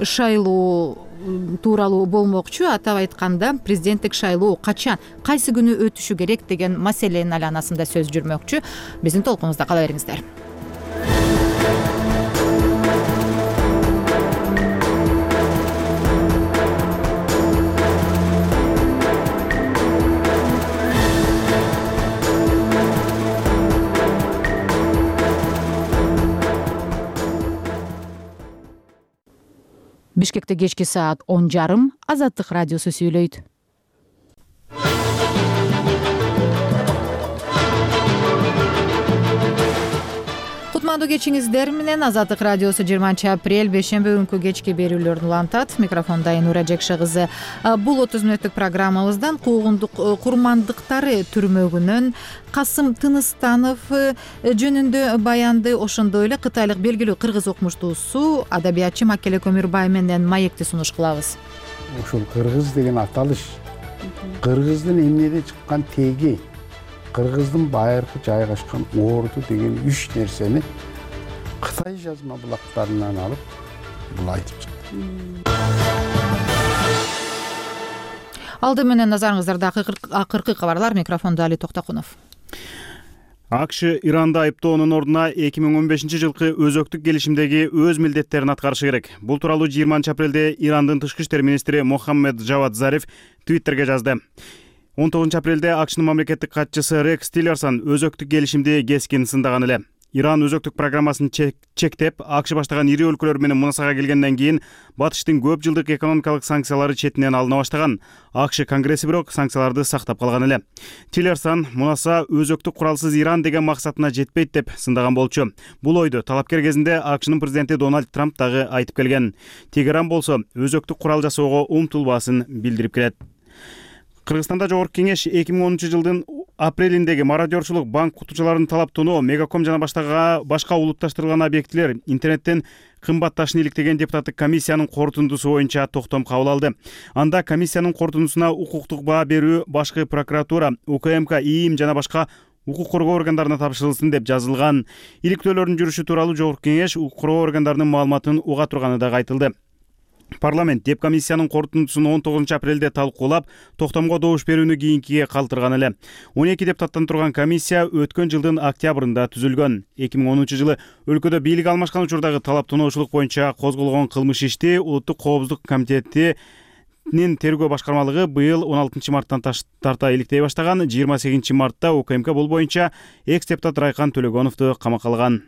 шайлоо тууралуу болмокчу. Атап айтканда, президенттик шайлоо качан, кайсы күнү өтүшү керек деген маселенин айланасында сөз жүрмөкчү. Биздин толкунубузда кала бериңиздер. Бишкекте кечки саат 10:30. Азаттык радиосу сүйлөйт. Кутмандуу кечиңиздер менен Азаттык радиосу 20-апрель бейшемби күнкү кечки берүүлөрүн улантат. Микрофонда Нура Жекше кызы. Бул 30 мүнөттүк программабыздан куугундук курмандыктары түрмөгүнөн Касым Тыныстанов жөнүндө баянды, ошондой эле кытайлык белгилүү кыргыз окумуштуусу адабиятчы Маккеле Көмүрбай менен маекти сунуш кылабыз. Ушул кыргыз деген аталыш кыргыздын эмнеде чыккан теги, кыргыздын байыркы жайгашкан орду деген 3 нерсени Кытай жазма булактарынан алып бул айтып чыкты. Алды менен назарыңыздарда акыркы кабарлар. Микрофонда Али Токтокунов. АКШ Иранды айыптоонун ордуна 2015-жылкы өзөктүк келишимдеги өз милдеттерин аткарышы керек. Бул тууралуу 20-апрелде Ирандын тышкы иштер министри Мохаммед Жавад Зариф Твиттерге жазды. 19-апрелде АКШнын мамлекеттик катчысы Рекс Тиллерсон өзөктүк келишимди кескин сындаган эле. Иран өзөктүк программасын чектеп, АКШ баштаган ири өлкөлөр менен мунасага келгенден кийин Батыштын көп жылдык экономикалык санкциялары четинен алына баштаган. АКШ Конгресси бирок санкцияларды сактап калган эле. Тиллерсон мунаса өзөктүк куралсыз Иран деген максатына жетпейт деп сындаган болчу. Бул ойду талапкер кезинде АКШнын президенти Дональд Трамп дагы айтып келген. Тегеран болсо өзөктүк курал жасоого умтулбасын билдирип келет. Кыргызстанда Жогорку Кеңеш 2010-жылдын апрелиндеги мародерчулук, банк кутучуларын талап тоноо, Мегаком жана башка улутташтырылган объектилер интернеттен кымбатташын иликтеген депутаттык комиссиянын корутундусу боюнча токтом кабыл алды. Анда комиссиянын корутундусуна укуктук баа берүү башкы прокуратура, УКМК, ИИМ жана башка укук коргоо органдарына тапшырылсын деп жазылган. Иликтөөлөрдүн жүрүшү тууралуу Жогорку Кеңеш укук коргоо органдарынын маалыматын уга турганы да айтылды. Парламент деп комиссиянын корутундусун 19-апрелде талкуулап, токтомго добуш берүүнү кийинкиге калтырган эле. 12 депутаттан турган комиссия өткөн жылдын октябрында түзүлгөн. 2010-жылы өлкөдө бийлик алмашкан учурдагы талап тоноочулук боюнча козголгон кылмыш ишти Улуттук коопсуздук комитетинин тергөө башкармалыгы быйыл 16-марттан тарта иликтей баштаган. 28-мартта УКМК бул боюнча экс-депутат Райкан Төлөгоновду камакка алган.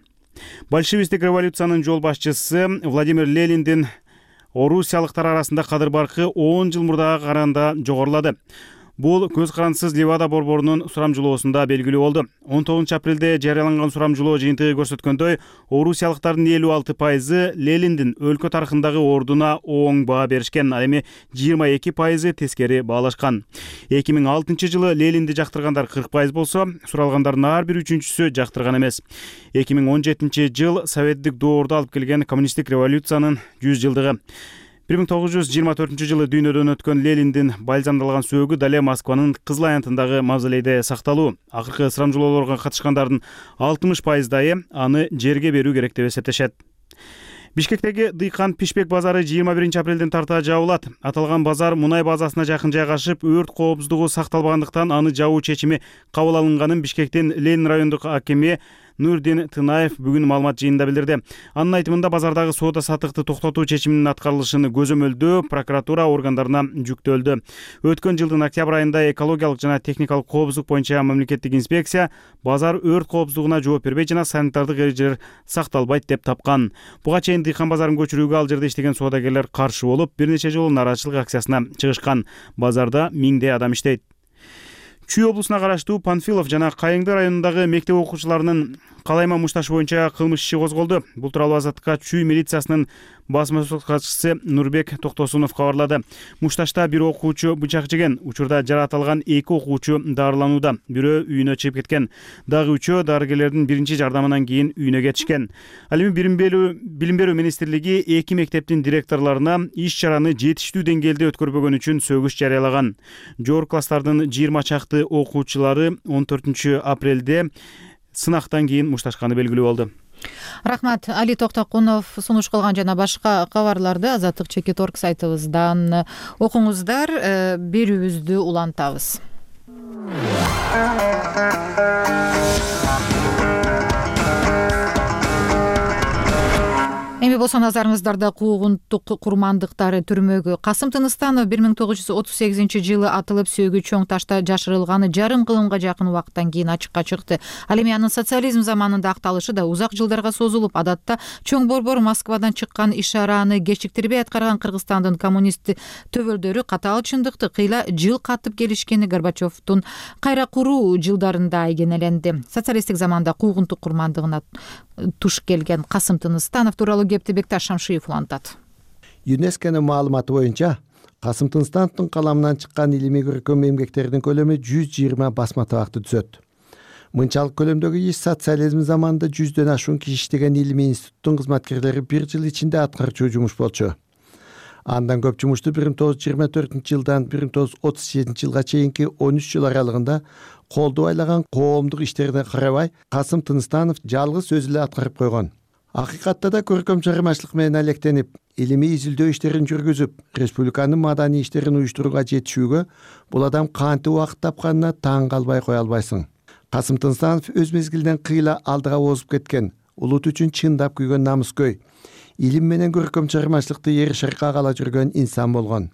Большевистик революциянын жол башчысы Владимир Лениндин орусиялыктар арасында кадыр баркы 10 жыл мурдага караганда жогорулады. Бул көз карансыз Левада борборунун сурамжылоосунда белгилүү болду. 19-апрелде жарыяланган сурамжылоо жыйынтыгы көрсөткөндөй, орусиялыктардын 56% Лениндин өлкө тарыхындагы ордуна оң баа беришкен, ал эми 22% тескери баалашкан. 2006-жылы Ленинди жактыргандар 40% болсо, суралгандардын ар бир үчүнчүсү жактырган эмес. 2017-жыл советтик доорду алып келген коммунисттик революциянын 100 жылдыгы. 1924-жылы дүйнөдөн өткөн Лениндин бальзамдалган сөөгү дале Москванын Кызыл аянтындагы мавзолейде сакталуу. Акыркы сурамжылоолорго катышкандардын 60%дайы аны жерге берүү керек деп эсептешет. Бишкектеги Дыйкан Пишпек базары 21 апрелден тарта жабылат. Аталган базар мунай базасына жакын жайгашып, өрт коопсуздугу сакталбагандыктан аны жабуу чечими кабыл алынганын Бишкектин Ленин райондук акими Нурдин Тынаев бүгүн маалымат жыйынында билдирди. Анын айтымында базардагы соода саттыкты токтотуу чечиминин аткарылышын көзөмөлдөө прокуратура органдарына жүктөлдү. Өткөн жылдын октябрь айында экологиялык жана техникалык коопсуздук боюнча мамлекеттик инспекция базар өрт коопсуздугуна жооп бербей жана санитардык эрежелер сакталбайт деп тапкан. Буга чейин Дыйкан базарын көчүрүүгө ал жерде иштеген соодагерлер каршы болуп, бир нече жолу нааразычылык акциясына чыгышкан. Базарда миңдей адам иштейт. Чүй облусуна караштуу Панфилов жана Кайыңды районундагы мектеп окуучуларынын калайма мушташы боюнча кылмыш иши козголду. Бул тууралуу Азаттыкка Чүй милициясынын басма-сөз катчысы Нурбек Токтосунов кабарлады. Мушташта бир окуучу бычак жеген, учурда жаракат алган 2 окуучу дарыланууда. Бирөө үйүнө чыгып кеткен. Дагы 3-өө дарыгерлердин биринчи жардамынан кийин үйүнө кетишкен. Ал эми Билим берүү министрлиги 2 мектептин директорлоруна иш-чараны жетиштүү деңгээлде өткөрбөгөн үчүн сөгүш жарыялаган. Жогорку класстардын 20 чакты окуучулары 14 апрелде сынактан кийин мушташканы белгилүү болду. Рахмат. Али Токтокунов сунуш кылган жана башка кабарларды Азаттык Чекиторг сайтыбыздан окуңуздар. Берүүбүздү улантабыз. Эми болсо назарыңыздарда куугунтук курмандыктары түрмөгү. Касым Тыныстанов 1938 атылып сөөгү чоң ташта жашырылганы жарым кылымга жакын убакыттан кийин ачыкка чыкты. Ал эми анын социализм заманында акталышы да узак жылдарга созулуп, адатта чоң борбор Москвадан чыккан иш-чараны кечиктирбей аткарган Кыргызстандын коммунист төбөлдөрү катаал чындыкты кыйла жыл катып келишкени Горбачевдун кайра куруу жылдарында айгинеленди. Социалисттик заманда куугунтук курмандыгына туш келген Касым Тыныстанов тууралуу кепти Бекташ Шамшиев улантат. ЮНЕСКОнун маалыматы боюнча Касым Тыныстановдун каламынан чыккан илимий көркөм эмгектердин көлөмү 120 басма табакты түзөт. Мынчалык көлөмдөгү иш социализм заманында 100дөн ашуун киши иштеген илимий институттун кызматкерлери бир жыл ичинде аткарчу жумуш болчу. Андан көп жумушту 1924-жылдан 1937-жылга чейинки 13 жыл аралыгында колду байлаган коомдук иштерине карабай Касым Тыныстанов жалгыз өзү эле аткарып койгон. Акыйкатта да көркөм чыгармачылык менен алектенип, илимий изилдөө иштерин жүргүзүп, республиканын маданий иштерин уюштурууга жетишүүгө бул адам кантип убакыт тапканына таң калбай кое албайсың. Касым Тыныстанов өз мезгилинен кыйла алдыга озуп кеткен, улут үчүн чындап күйгөн намыскөй, илим менен көркөм чыгармачылыкты эр шаркка кала жүргөн инсан болгон.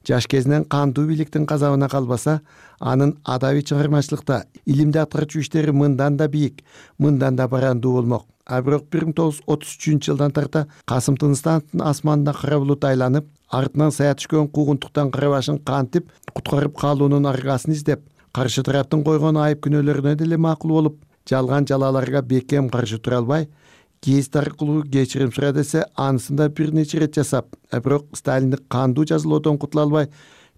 Жаш кезинен кандуу бийликтин казабына калбаса, анын адабий чыгармачылыкта илимди аткарчу иштери мындан да бийик, мындан да барандуу болмок. А бирок 1933-жылдан тарта Касым Тыныстановдун асманына кара булут айланып, артынан сая түшкөн куугунтуктан кара башын кантип куткарып калуунун аргасын издеп, каршы тараптын койгон айып күнөөлөрүнө деле макул болуп, жалган жалаларга бекем каршы тура албай, кез аркылуу кечирим сура десе, анысында бир нече рет жасап, бирок Сталиндик кандуу жазалоодон кутула албай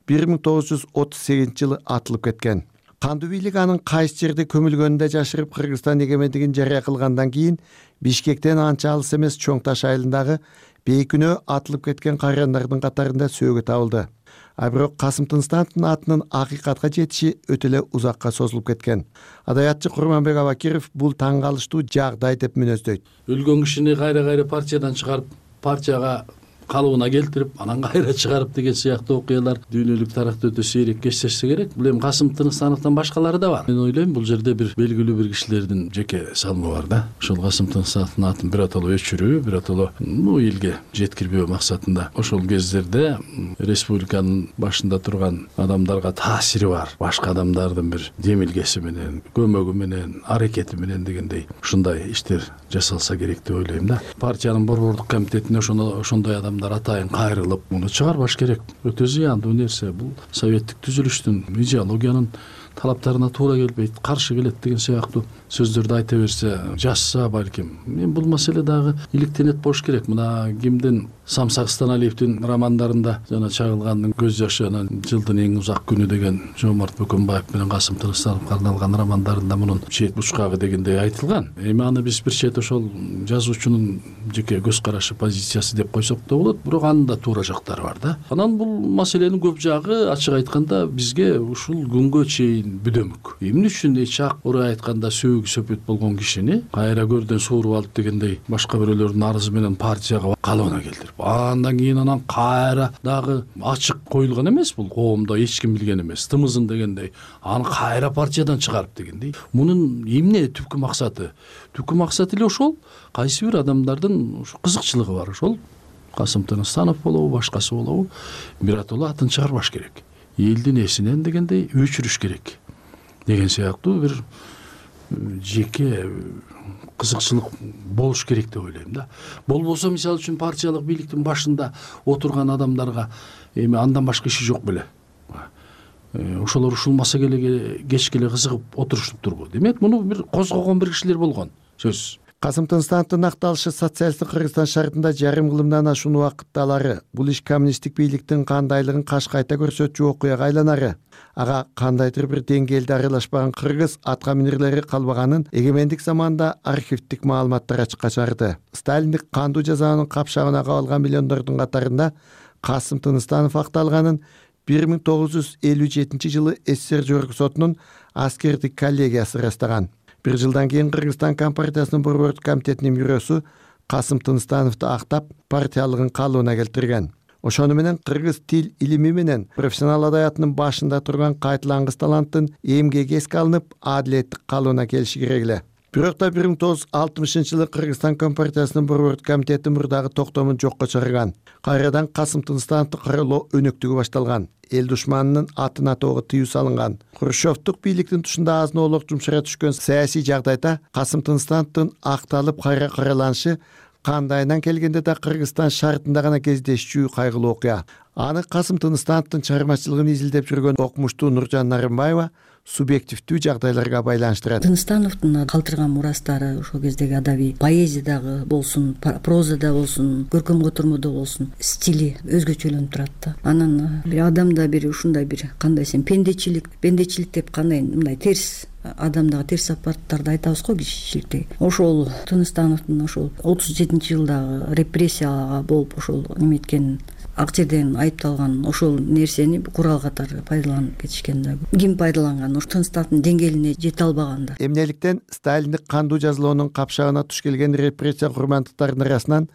1938-жылы атылып кеткен. Кандуу бийлик анын кайсы жерде көмүлгөнүндө жашырып Кыргызстан эгемендигин жарыя кылгандан кийин Бишкектен анча алыс эмес Чоң Таш айылындагы бейкүнөө атылып кеткен кайрандардын катарында сөөгү табылды. А бирок Касым Тыныстановдун атынын акыйкатка жетиши өтө эле узакка созулуп кеткен. Адабиятчы Курманбек Абакиров бул таң калыштуу жагдай деп мүнөздөйт. Өлгөн кишини кайра партиядан чыгарып, партияга калыбына келтирип, анан кайра чыгарып деген сыяктуу окуялар дүйнөлүк тарыхта өтө сейрек кездешсе керек. Бул эми Касым Тыныстановдон башкалары да бар. Мен ойлойм, бул жерде бир белгилүү бир кишилердин жеке салымы бар да. Ошол Касым Тыныстановдун атын биротоло өчүрүү, биротоло элге жеткирбөө максатында. Ошол кездерде республиканын башында турган адамдарга таасири бар. Башка адамдардын бир демилгеси менен, көмөгү менен, аракети менен дегендей ушундай иштер жасалса керек деп ойлойм да. Партиянын борбордук комитетине ошондой адамдар атайын кайрылып, муну чыгарбаш керек. Өтө зыяндуу нерсе. Бул советтик түзүлүштүн, идеологиянын талаптарына туура келбейт, каршы келет деген сыяктуу сөздөрдү айта берсе, жазса балким. Мен бул маселе дагы иликтенет болуш керек. Мына кимдин Самсак Станалиевдин романдарында жана чагылгандын көз жашы, анан жылдын эң узак күнү деген Жомарт Бөкөнбаев менен Касым Тыныстановго арналган романдарында мунун чет бучкагы дегендей айтылган. Эми аны биз бир чет ошол жазуучунун жеке көз карашы, позициясы деп койсок да болот, бирок анын да туура жактары бар да. Анан бул маселенин көп жагы ачык айтканда бизге ушул күнгө чейин бүдөмүк. Эмне үчүн чак орой айтканда сөөгү сөпөт болгон кишини кайра көрдөн сууруп алып дегендей башка бирөөлөрдүн арызы менен партияга калыбына келтирип, андан кийин анан кайра дагы ачык коюлган эмес, бул коомдо эч ким билген эмес, тымызын дегендей аны кайра партиядан чыгарып дегендей. Мунун эмне түпкү максаты? Түпкү максаты эле ошол. Кайсы бир адамдардын кызыкчылыгы бар, ошол Касым Тыныстанов болобу, башкасы болобу, биротоло атын чыгарбаш керек. Элдин эсинен дегендей өчүрүш керек деген сыяктуу бир жеке кызыкчылык болуш керек деп ойлойм да. Болбосо мисалы үчүн партиялык бийликтин башында отурган адамдарга эми андан башка иши жок беле. Ошолор ушулмаса кеч келе кызыгып отуруштуптурбу. Демек муну бир козгогон бир кишилер болгон сөзсүз. Касым Тыныстановдун акталышы социалисттик Кыргызстан шартында жарым кылымдан ашуун убакытталары. Бул иш коммунисттик бийликтин кандайлыгын кашкайта көрсөтчү окуяга айланары. Ага кандайдыр бир деңгээлде аралашпаган кыргыз атка минерлери калбаганын эгемендик заманда архивдик маалыматтар ачыкка чыгарды. Сталиндик кандуу жазаанын капшагына кабылган миллиондордун катарында Касым Тыныстанов акталганын 1957 жылы СССР Жогорку сотунун аскердик коллегиясы ырастаган. Бир жылдан кийин Кыргызстан Компартиясынын борбордук комитетинин бюросу Касым Тыныстановду актап партиялыгын калыбына келтирген. Ошону менен кыргыз тил илими менен профессионал адаятынын башында турган кайтылангыс таланттын эмгеги эске алынып, адилеттик калыбына келиши керек эле. Бирок да 1960 жылы Кыргызстан Компартиясынын борбордук комитети мурдагы токтомун жокко чыгарган. Кайрадан Касым Тыныстановду каралоо өнөктүгү башталган. Эл душманынын атын атоого тыюу салынган. Хрущевдук бийликтин тушунда азын-оолук жумшара түшкөн саясий жагдайда Касым Тыныстановдун акталып кайра караланышы кандайынан келгенде да Кыргызстан шартында гана кездешчү кайгылуу окуя. Аны Касым Тыныстановдун чыгармачылыгын изилдеп жүргөн окумуштуу Нуржан Нарымбаева субъективдүү жагдайларга байланыштырат. Тыныстановдун калтырган мурастары ошол кездеги адабий поэзиядагы болсун, прозада болсун, көркөм котормодо болсун стили өзгөчөлөнүп турат да. Анан бир адамда бир ушундай бир кандай сен пендечилик деп кандай мындай терс адамдагы терс сапаттарды айтабыз го кишиликте. Ошол Тыныстановдун ошол 37-жылдагы репрессияга болуп ошол эметкен ак жерден айыпталган ошол нерсени курал катары пайдаланып кетишкен да. Ким пайдаланган? Ошо Тыныстановдун деңгээлине жете албаганда. Эмнеликтен Сталиндик кандуу жазалоонун капшагына туш келген репрессия курмандыктарынын арасынан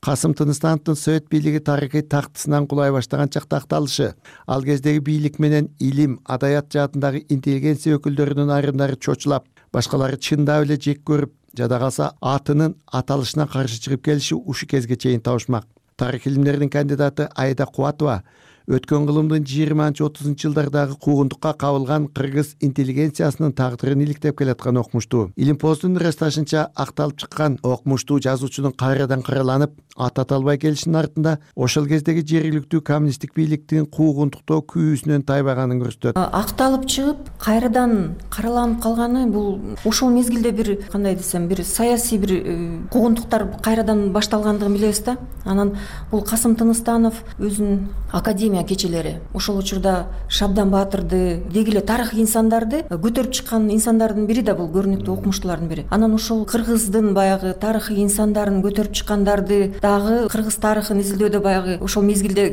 Касым Тыныстановдун Совет бийлиги тарыхый тактысынан кулай баштаган чакта акталышы. Ал кездеги бийлик менен илим, адаят жаатындагы интеллигенция өкүлдөрүнүн айрымдары чочулап, башкалары чындап эле жек көрүп, жада калса атынын аталышына каршы чыгып келиши ушу кезге чейин табышмак. Тарых илимдеринин кандидаты Айда Кубатова өткөн кылымдын 20-30 жылдардагы куугунтукка кабылган кыргыз интеллигенциясынын тагдырын иликтеп келаткан окумуштуу. Илимпоздун ырасташынча акталып чыккан окумуштуу жазуучунун кайрадан караланып, ат ата албай келишинин артында ошол кездеги жергиликтүү коммунисттик бийликтин куугунтуктоо күйүүсүнөн тайбаганын көрсөтөт. Акталып чыгып, кайрадан караланып калганы бул ошол мезгилде бир кандай десем, бир саясий бир куугунтуктар кайрадан башталгандыгын билебиз да. Анан бул Касым Тыныстанов өзүнүн академия кечелери ошол учурда Шабдан Баатырды, деги эле тарых инсандарды көтөрүп чыккан инсандардын бири да бул көрүнүктүү окумуштуулардын бири. Анан ошол кыргыздын баягы тарыхый инсандарын көтөрүп чыккандарды дагы кыргыз тарыхын изилдөөдө баягы ошол мезгилде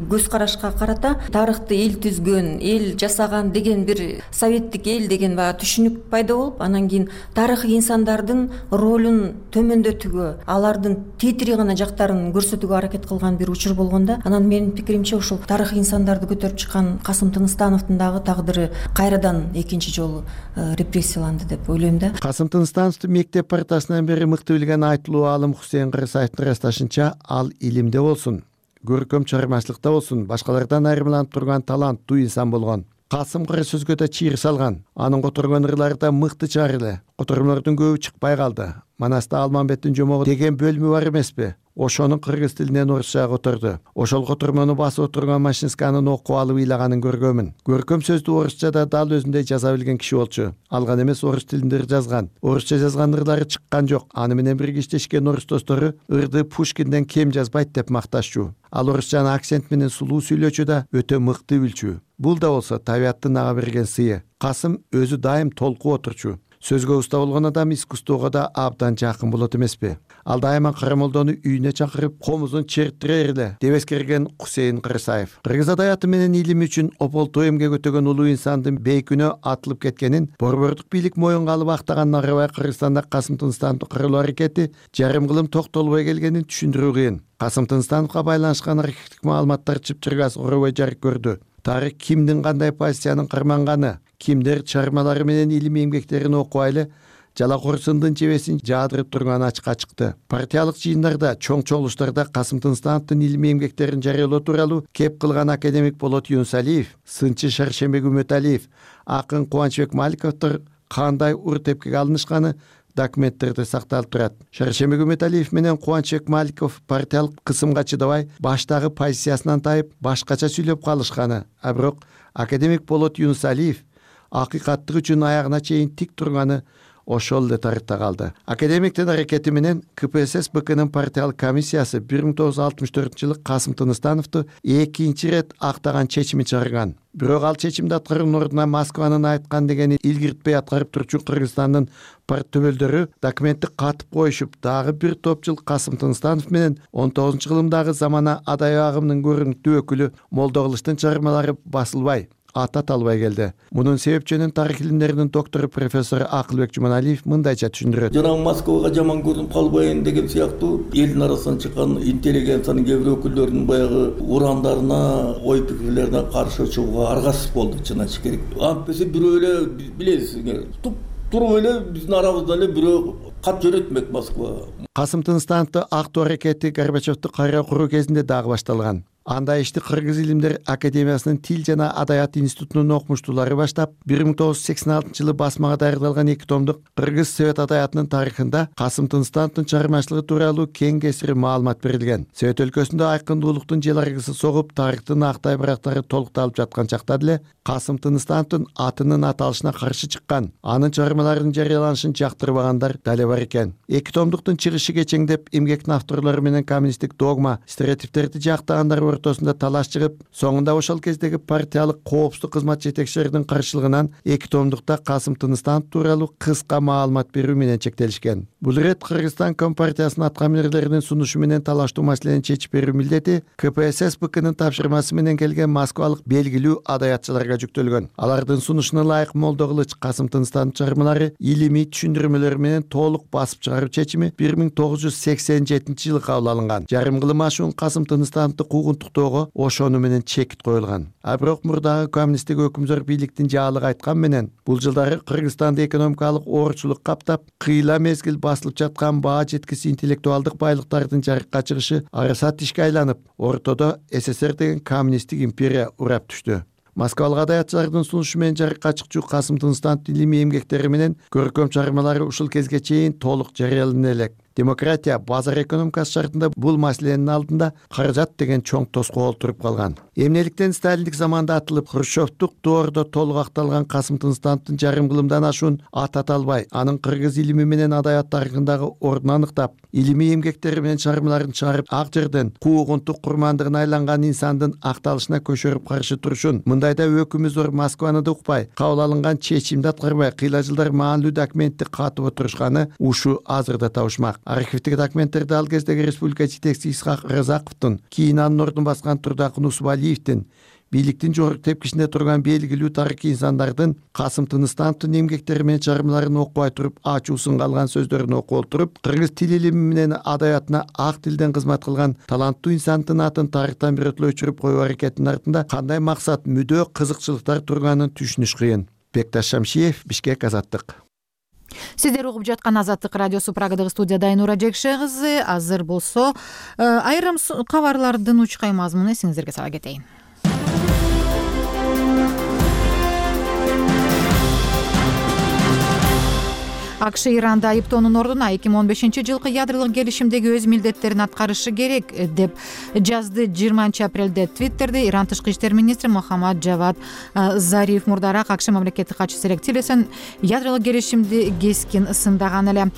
көз карашка карата тарыхты эл түзгөн, эл жасаган деген бир советтик эл деген баягы түшүнүк пайда болуп, анан кийин тарыхый инсандардын ролун төмөндөтүүгө, алардын тетири гана жактарын көрсөтүүгө аракет кылган бир учур болгондо, анан менин пикиримче ошол тарыхый инсандарды көтөрүп чыккан Касым Тыныстановдун дагы тагдыры кайрадан экинчи жолу репрессияланды деп ойлойм да. Касым Тыныстановду мектеп партасынан бери мыкты билген айтылуу аалым Хусейин Кырсаевдин ырасташынча, ал илимде болсун, көркөм чыгармачылыкта болсун, башкалардан айырмаланып турган таланттуу инсан болгон. Касым кара сөзгө да чийир салган. Анын которгон ырлары да мыкты чыгар эле. Котормолордун көбү чыкпай калды. Манаста Алмамбеттин жомогу деген бөлүмү бар эмеспи? Ошонун кыргыз тилинен орусчага которду. Ошол котормону басып отурган Машинсканын окуп алып ыйлаганын көргөмүн. Көркөм сөздү орусчада дал өзүндөй жаза билген киши болчу. Алган эмес орус тилинде жазган. Орусча жазган ырлары чыккан жок. Аны менен бирге иштешкен орус достору ырды Пушкинден кем жазбайт деп макташчу. Ал орусчаны акцент менен сулуу сүйлөчү да өтө мыкты билчү. Бул да болсо табияттын ага берген сыйы. Касым өзү дайым толкуп отурчу. Сөзгө уста болгон адам искусствого да абдан жакын болот эмеспи? Ал дайыма Карамолдону үйүнө чакырып, комузун чертирер эле деп эскерген Кусейин Кырсаев. Кыргыз адабияты менен илими үчүн ополтуу эмгек өтөгөн улуу инсандын бейкүнөө атылып кеткенин борбордук бийлик моюнга алып актаганына карабай, Кыргызстанда Касым Тыныстановду кырылуу аракети жарым кылым токтолбой келгенин түшүндүрүү кыйын. Касым Тыныстановго байланышкан архивдик маалыматтар чыпчыргас оробой жарык көрдү. Тарых кимдин кандай позициянын карманганы, кимдер чыгармалары менен илимий эмгектерин окубай эле жалакорсундун жебесин жаадырып турганы ачыкка чыкты. Партиялык жыйындарда, чоң чогулуштарда Касым Тыныстановдун илимий эмгектерин жарыялоо тууралуу кеп кылган академик Болот Юнусалиев, сынчы Шаршембек Үмөталиев, акын Кубанычбек Маликовдор кандай ур тепкиге алынышканы документтерде сакталып турат. Шаршембек Үмөталиев менен Кубанычбек Маликов партиялык кысымга чыдабай, баштагы позициясынан тайып, башкача сүйлөп калышканы. А бирок академик Болот Юнусалиев акыйкаттык үчүн аягына чейин тик турганы ошол эле тарыхта калды. Академиктин аракети менен КПСС БКнын партиялык комиссиясы 1964-жылы Касым Тыныстановду экинчи ирет актаган чечимин чыгарган. Бирок ал чечимди аткаруунун ордуна Москванын айткан дегени илгиртпей аткарып турчу Кыргызстандын парттөбөлдөрү документти катып коюшуп, дагы бир топ жыл Касым Тыныстанов менен 19-жылымдагы замана адай агымынын көрүнүктүү өкүлү Молдокылычтын чыгармалары басылбай, аталбай келди. Мунун себепчөнүн тарых илимдеринин доктору профессор Акылбек Жуманалиев мындайча түшүндүрөт. Жана Москвага жаман көрүнүп калбайын деген сыяктуу элдин арасынан чыккан интеллигенциянын кээ бир өкүлдөрүнүн баягы урандарына, ой пикирлерине каршы чыгууга аргасыз болдук, чын айтыш керек. Антпесе бирөө эле билесиңер, туруп эле биздин арабызда эле бирөө кат жөнөтмөк Москвага. Касым Тыныстановду актоо аракети Горбачевду кайра куруу кезинде дагы башталган. Анда ишти Кыргыз илимдер академиясынын тил жана адаят институтунун окумуштуулары баштап, 1986-жылы басмага даярдалган 2 томдук Кыргыз Совет адаятынын тарыхында Касым Тыныстановдун чыгармачылыгы тууралуу кең кесири маалымат берилген. Совет өлкөсүндө айкындуулуктун жел аргысы согуп, тарыхтын актай барактары толукталып жаткан чакта деле Касым Тыныстановдун атынын аталышына каршы чыккан, анын чыгармаларынын жарыяланышын жактырбагандар дале бар экен. 2 томдуктун чыгышы кечеңдеп, эмгектин авторлору менен коммунисттик догма, стереотиптерди жактагандар ортосунда талаш чыгып, соңунда ошол кездеги партиялык коопсуздук кызмат жетекчилеринин каршылыгынан 2 томдукта Касым Тыныстанов тууралуу кыска маалымат берүү менен чектелишкен. Бул ирет Кыргызстан Компартиясынын аткаминерлеринин сунушу менен талаштуу маселени чечип берүү милдети КПСС БКнын тапшырмасы менен келген москвалык белгилүү адаятчыларга жүктөлгөн. Алардын сунушуна ылайык Молдокылыч Касым Тыныстановдун чыгармалары илимий түшүндүрмөлөр менен толук басып чыгаруу чечими 1987-жылы кабыл алынган. Жарым кылым ашуун Касым Тыныстановду куугунтуктоого ошону менен чекит коюлган. А бирок мурдагы коммунисттик өкүмзөр бийликтин жаалыгы айткан менен бул жылдары Кыргызстанды экономикалык оорчулук каптап, кыйла мезгил басылып жаткан баа жеткис интеллектуалдык байлыктардын жарыкка чыгышы арасат ишке айланып, ортодо СССР деген коммунисттик империя урап түштү. Москвалык адаятчылардын сунушу менен жарыкка чыкчу Касым Тыныстановдун илимий эмгектери менен көркөм чыгармалары ушул кезге чейин толук жарыялана элек. Демократия, базар экономикасы шартында бул маселенин алдында каражат деген чоң тоскоол туруп калган. Эмнеликтен сталиндик заманда атылып, Хрущевдук доордо толук акталган Касым Тыныстановдун жарым кылымдан ашуун аталбай, анын кыргыз илими менен адаят тарыхындагы ордун аныктап, илимий эмгектери менен чыгармаларын чыгарып, ак жерден куугунтук курмандыгына айланган инсандын акталышына көчөрүп каршы турушун, мындайда өкүмү зор Москваны да укпай, кабыл алынган чечимди аткарбай, кыйла жылдар маанилүү документти катып отурушканы ушу азырда табышмак. Архивдик документтерде ал кездеги республика жетекчиси Исхак Разаковдун, кийин анын ордун баскан Турдакын Усубалиевдин, бийликтин жогорку тепкичинде турган белгилүү тарыхый инсандардын Касым Тыныстановдун эмгектери менен чыгармаларын окубай туруп, ачуусун калган сөздөрүн окуп отуруп, кыргыз тил илими менен адаятына ак тилден кызмат кылган таланттуу инсандын атын тарыхтан бирөтлөй өчүрүп коюу аракетинин артында кандай максат, мүдө, кызыкчылыктар турганын түшүнүш кыйын. Бекташ Шамшиев, Бишкек, Азаттык. Сиздер угуп жаткан Азаттык радиосу, Прагадагы студияда Айнура Жекше кызы. Азыр болсо айрым кабарлардын учкай мазмунун эсиңиздерге сала кетейин. АКШ Иранда айыптоонун ордуна 2015-жылкы ядролук келишимдеги өз милдеттерин аткарышы керек деп жазды 20-апрелде Твиттерде Иран тышкы иштер министри Мохаммад Джавад Зариф. Мурдараак АКШ мамлекеттик катчысы Рекс Тиллерсон ядролук келишимди кескин сындаган эле.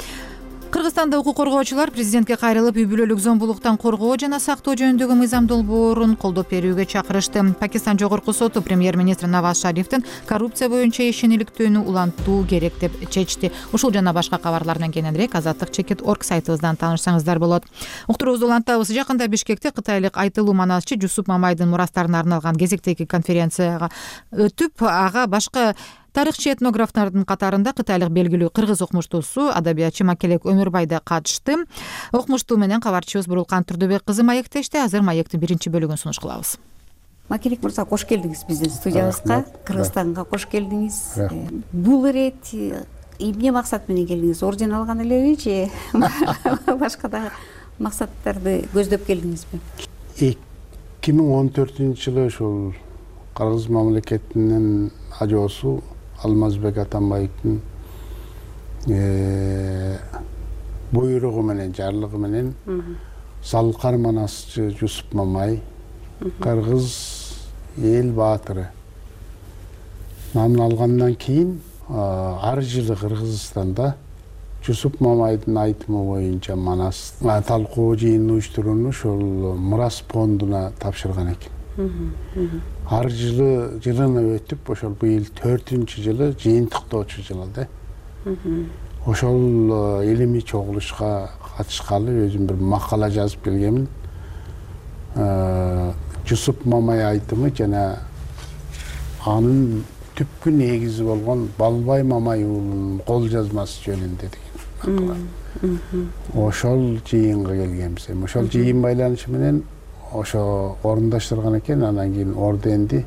Кыргызстанда укук коргоочулар президентке кайрылып үй бүлөлүк зомбулуктан коргоо жана сактоо жөнүндөгү мыйзам долбоорун колдоп берүүгө чакырышты. Пакистан жогорку соту премьер-министр Наваз Шарифтин коррупция боюнча ишениликтүүнү улантуу керек деп чечти. Ушул жана башка кабарлардан кененирээк Azadlyk.org сайтыбыздан таанышсаңыздар болот. Уктуруубузду улантабыз. Жакында Бишкекте кытайлык айтылуу манасчы Жусуп Мамайдын мурастарына арналган кезектеги конференцияга өтүп, ага башка тарыхчы этнографтардын катарында кытайлык белгилүү кыргыз окумуштуусу, адабиятчы Макелек Өмүрбай да катышты. Окумуштуу менен кабарчыбыз Бурулкан Турдубек кызы маектешти. Азыр маектин биринчи бөлүгүн сунуш кылабыз. Макелек мырза, кош келдиңиз биздин студиябызга, Кыргызстанга кош келдиңиз. Бул ирет эмне максат менен келдиңиз? Орден алган элеби же башка да максаттарды көздөп келдиңизби? 2014-жылы ушул Кыргыз мамлекетинин ажоосу Алмазбек Атамбаевдин буйругу менен, жарлыгы менен Салкар манасчы Жусуп Мамай, кыргыз эл баатыры намын алгандан кийин ар жылы Кыргызстанда Жусуп Мамайдын айтымы боюнча манас талкуу жыйынын уюштурууну ошол мурас фондуна тапшырган экен. Ар жылы жылына өтүп, ошол быйыл 4-жылы жыйынтыктоочу жылы да. Ошол илимий чогулушка катышкалы өзүм бир макала жазып келгенмин. Жусуп Мамай айтымы жана анын түпкү негизи болгон Балбай Мамай уулунун кол жазмасы жөнүндө деген макала. Ошол жыйынга келгенбиз. Ошол жыйын байланышы менен ошо орундаштырган экен. Анан кийин орденди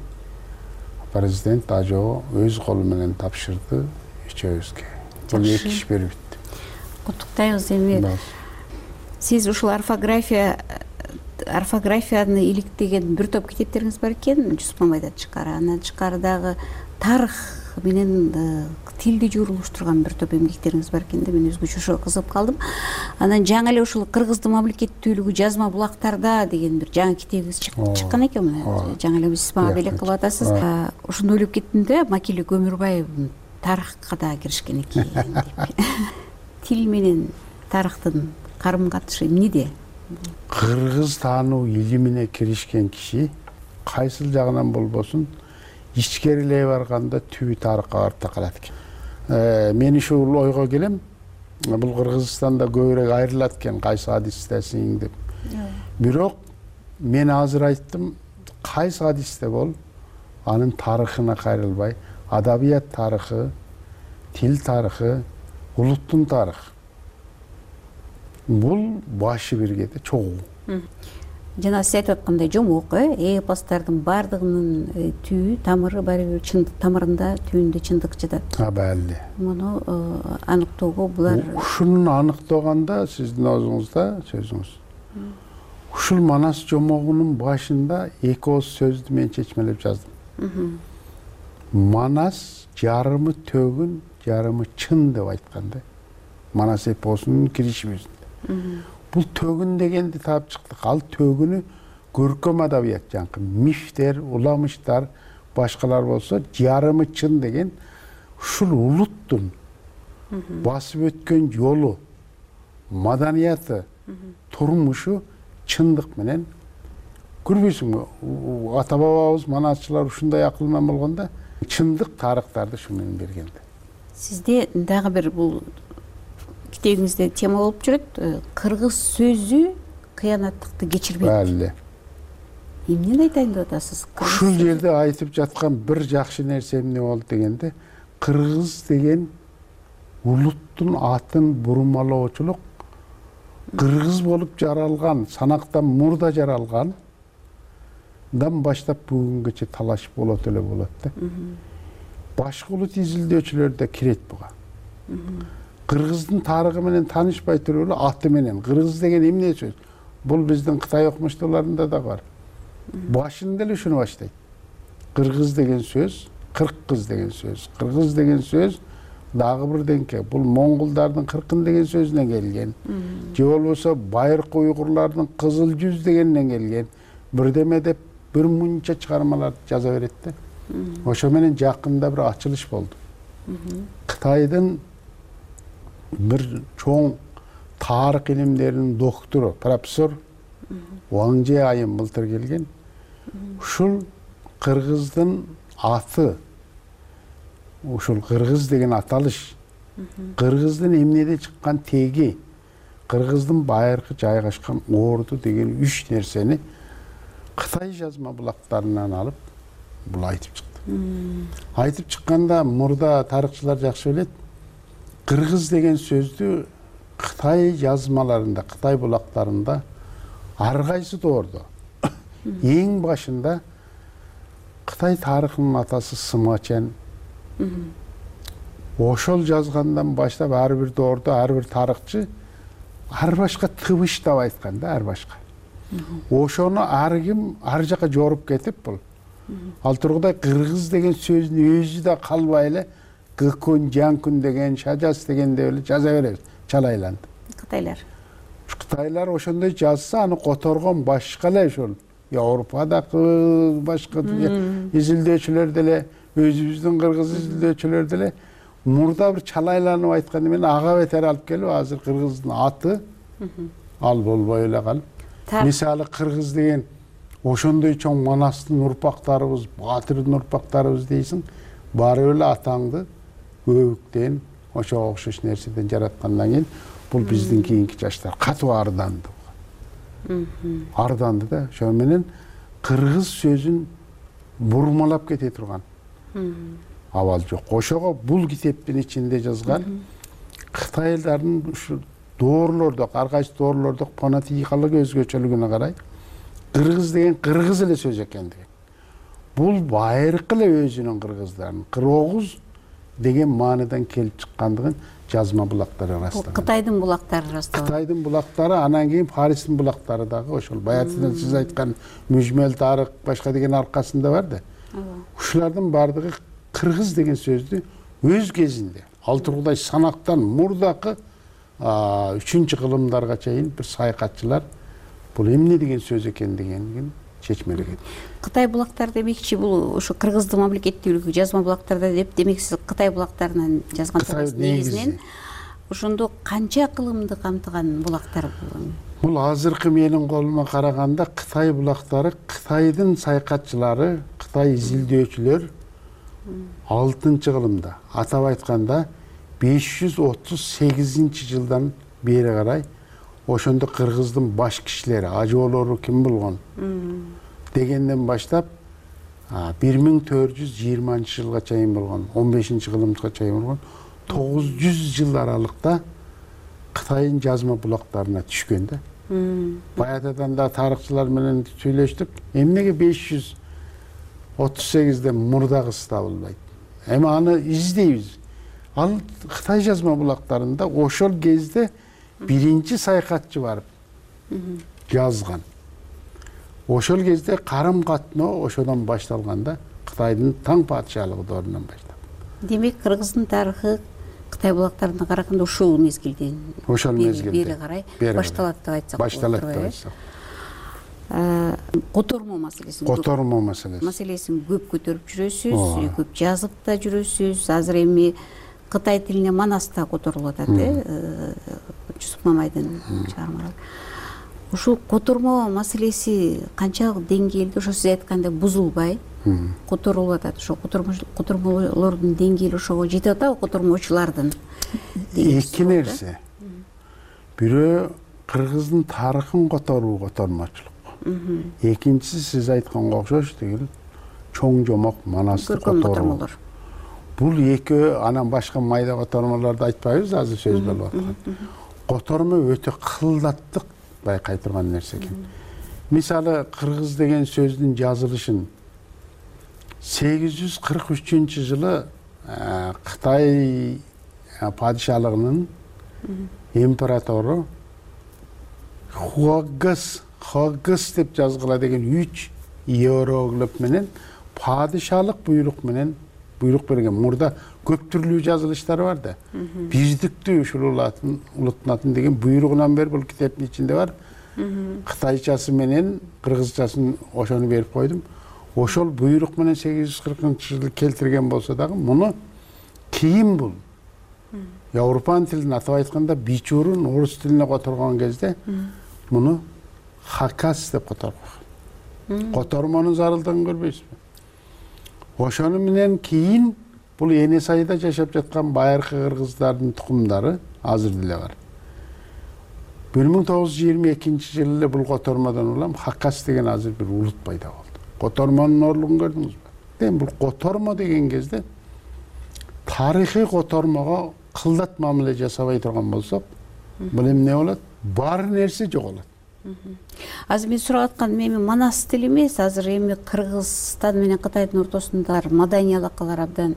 президент ажоо өз колу менен тапшырды үчөөбүзгө. Бул 2 иш берип бүттү. Куттуктайбыз. Эми сиз ушул орфографияны иликтеген бир топ китептериңиз бар экен, Жусуп Мамайдан тышкары. Андан тышкары дагы тарых менен тилди журулуштурган бир топ эмгектериңиз бар экен да, мен өзгөчө ошого кызыгып калдым. Анан жаңы эле ушул Кыргыздын мамлекеттүүлүгү жазма булактарда деген бир жаңы китебиңиз чыккан экен. Жаңы эле сиз мага белек кылып атасыз. Ошону ойлоп кеттим да, Макелек Өмүрбаев тарыхка да киришкен экен деп. Тил менен тарыхтын карым катышы эмнеде? Кыргыз таануу илимине киришкен киши кайсыл жагынан болбосун ичкерилей барганда түбү тарыхка барып такалат экен. Мен ушул ойго келем. Бул Кыргызстанда көбүрөөк айрылат экен, кайсы хадистесиң деп. Бирок мен азыр айттым, кайсы хадисте бол, анын тарыхына кайрылбай, адабият тарыхы, тил тарыхы, улуттун тарыхы. Бул башы биргеде чогуу. Жана сиз айтып аткандай жомок, эпостардын бардыгынын түбү, тамыры баары бир чындык тамырында, түбүндө чындык жатат. Бәли. Муну аныктоого булар. Ушуну аныктаганда сиздин өзүңүздө сөзүңүз. Ушул манас жомогунун башында 2 ооз сөздү мен чечмелеп жаздым. Манас жарымы төгүн, жарымы чын деп айткан да. Манас эпосунун киришибиз. Бул төгүн дегенди таап чыктык. Ал төгүнү көркөм адабият жаңкы мифтер, уламыштар, башкалар болсо, жарымы чын деген ушул улуттун басып өткөн жолу, маданияты, турмушу чындык менен көрбөйсүңбү? Ата бабабыз манасчылар ушундай акыл менен болгондо чындык тарыхтарды ушу менен берген. Сизде дагы бир бул китебиңизде тема болуп жүрөт. Кыргыз сөзү кыянаттыкты кечирбейт. Бәли. Эмнени айтайын деп атасыз? Ушул жерде айтып жаткан бир жакшы нерсе эмне болду дегенде, кыргыз деген улуттун атын бурмалоочулук кыргыз болуп жаралган, санактан мурда жаралган баштап бүгүнгөчө талаш болот эле болот да. Башка улут изилдөөчүлөр да кирет буга. Кыргыздын тарыхы менен таанышпай туруп эле аты менен кыргыз деген эмне сөз? Бул биздин Кытай окумуштууларында да бар. Башында эле ушуну баштайт. Кыргыз деген сөз, кыргыз деген сөз. Кыргыз деген сөз дагы бир деңке. Бул монголдардын кыркын деген сөзүнөн келген. Же болбосо байыркы уйгурлардын кызыл жүз дегенинен келген. Бирдеме деп бир мынча чыгармаларды жаза берет да. Ошо менен жакында бир ачылыш болду. Кытайдын бир чоң тарых илимдеринин доктору профессор Ваңже айым былтыр келген. Ушул кыргыздын аты, ушул кыргыз деген аталыш, кыргыздын эмнеде чыккан теги, кыргыздын байыркы жайгашкан орду деген 3 нерсени Кытай жазма булактарынан алып бул айтып чыкты. Айтып чыкканда мурда тарыхчылар жакшы билет. Кыргыз деген сөздү Кытай жазмаларында, Кытай булактарында ар кайсы доордо эң башында Кытай тарыхынын атасы Сымачен ошол жазгандан баштап ар бир доордо ар бир тарыхчы ар башка тыбыштап айткан да, ар башка. Ошону ар ким ар жака жоруп кетип бул. Ал тургудай кыргыз деген сөздүн өзү да калбай эле Гыкун, Жанкун деген, Шажас деген деп эле жаза беребиз, чалайланды. Кытайлар ошондой жазса, аны которгон башка эле ошол Европадагы башка изилдөөчүлөр деле, өзүбүздүн кыргыз изилдөөчүлөр деле мурда бир чалайланып айтканды менен ага бетер алып келип, азыр кыргыздын аты ал болбой эле калып. Мисалы кыргыз деген ошондой чоң Манастын урпактарыбыз, Батырдын урпактарыбыз дейсиң, баары эле атаңды көбүктөн ошого окшош нерседен жараткандан кийин бул биздин кийинки жаштар катуу арданды. Арданды да, ошо менен кыргыз сөзүн бурмалап кете турган абал жок. Ошого бул китептин ичинде жазган Кытайлардын ушу доорлордо, ар кайсы доорлордо фонетикалык өзгөчөлүгүнө карай кыргыз деген кыргыз эле сөз экендиги. Бул байыркы эле өзүнүн кыргыздарын кыргыз деген маанидан келип чыккандыгын жазма булактары ырастаган. Кытайдын булактары ырастаган. Кытайдын булактары, анан кийин Паристин булактары дагы ошол баягы сиз айткан мүжмөл тарых башка деген аркасында бар да. Ушулардын бардыгы кыргыз деген сөздү өз кезинде ал тургудай санактан мурдакы 3-чү кылымдарга чейин бир саякатчылар бул эмне деген сөз экендигин чечмелеген. Кытай булактары демекчи бул ошо кыргыздын мамлекеттүүлүгү жазма булактарда деп демек сиз Кытай булактарынан жазган негизинен ошондо канча кылымды камтыган булактар бул? Бул азыркы менин колума караганда Кытай булактары Кытайдын саякатчылары, Кытай изилдөөчүлөр 6-кылымда, атап айтканда 538-жылдан бери карай ошондо кыргыздын баш кишилери, ажоолору ким болгон дегенден баштап 1420-жылга чейин болгон, 15-кылымга чейин болгон 900 жыл аралыкта Кытайдын жазма булактарына түшкөн да. Баягыдан да тарыхчылар менен сүйлөштүк. Эмнеге 538ден мурдагысы табылбайт? Эми аны издейбиз. Ал Кытай жазма булактарында ошол кезде биринчи саякатчы барып жазган. Ошол кезде карым катноо ошодон башталганда Кытайдын таң падышалыгы доорунан баштап. Демек кыргыздын тарыхы Кытай булактарына караганда ушул мезгилден бери карай башталат деп айтсак болот. Башталат деп айтсак. Котормо маселесин. Котормо маселеси. Маселесин көп көтөрүп жүрөсүз, көп жазып да жүрөсүз. Азыр эми Кытай тилине Манаста которулуп атат, Жусуп Мамайдын чыгармалары. Ушул котормо маселеси канчалык деңгээлде, ошо сиз айткандай бузулбай которулуп атат. Ошо котормолордун деңгээли ошого жетип атабы, котормочулардын? Эки нерсе. Бирөө кыргыздын тарыхын которуу котормочулук. Экинчиси сиз айтканга окшош деген чоң жомок Манасты которуу. Бул экөө, анан башка майда котормолорду айтпайбыз, азыр сөз болуп аткан. Котормо өтө кылдаттык байкай турган нерсе экен. Мисалы кыргыз деген сөздүн жазылышын 843-жылы Кытай падышалыгынын императору Хуагыс деп жазгыла деген 3 иероглиф менен падышалык буйрук менен буйрук берген. Мурда көп түрлүү жазылыштар бар да. Биздиктүү ушул улуттун атын деген буйругунан бери бул китептин ичинде бар. Кытайчасы менен кыргызчасын ошону берип койдум. Ошол буйрук менен 840-жылы келтирген болсо дагы муну кийин бул Европан тилин атап айтканда бичурун орус тилине которгон кезде муну хакас деп которгон. Котормонун зарылдыгын көрбөйсүзбү? Ошону менен кийин бул Эне сайда жашап жаткан байыркы кыргыздардын тукумдары азыр деле бар. 1922-жылы эле бул котормодон улам хакас деген азыр бир улут пайда болду. Котормонун орлугун көрдүңүзбү? Бул котормо деген кезде тарыхый котормого кылдат мамиле жасабай турган болсок, бул эмне болот? Бар нерсе жоголот. Азыр мен сурап атканым эми манас тили эмес, азыр эми Кыргызстан менен Кытайдын ортосунда маданий алакалар абдан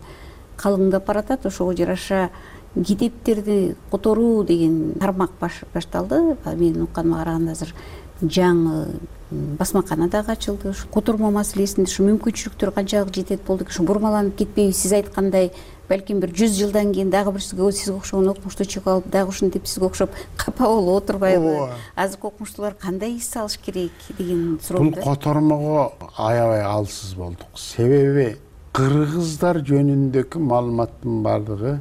калыңдап баратат. Ошого жараша китептерди которуу деген тармак башталды. Менин укканыма караганда азыр жаңы басмакана дагы ачылды. Ушу котормо маселесинде ушу мүмкүнчүлүктөр канчалык жетет болду, ушу бурмаланып кетпейби? Сиз айткандай, балким бир 100 жылдан кийин дагы бир сизге окшогон окумуштуу чыгып алып, дагы ушинтип сизге окшоп капа болуп отурбайбы? Азыркы окумуштуулар кандай эс алыш керек деген суроо. Бул котормого аябай алсыз болдук. Себеби кыргыздар жөнүндөгү маалыматтын бардыгы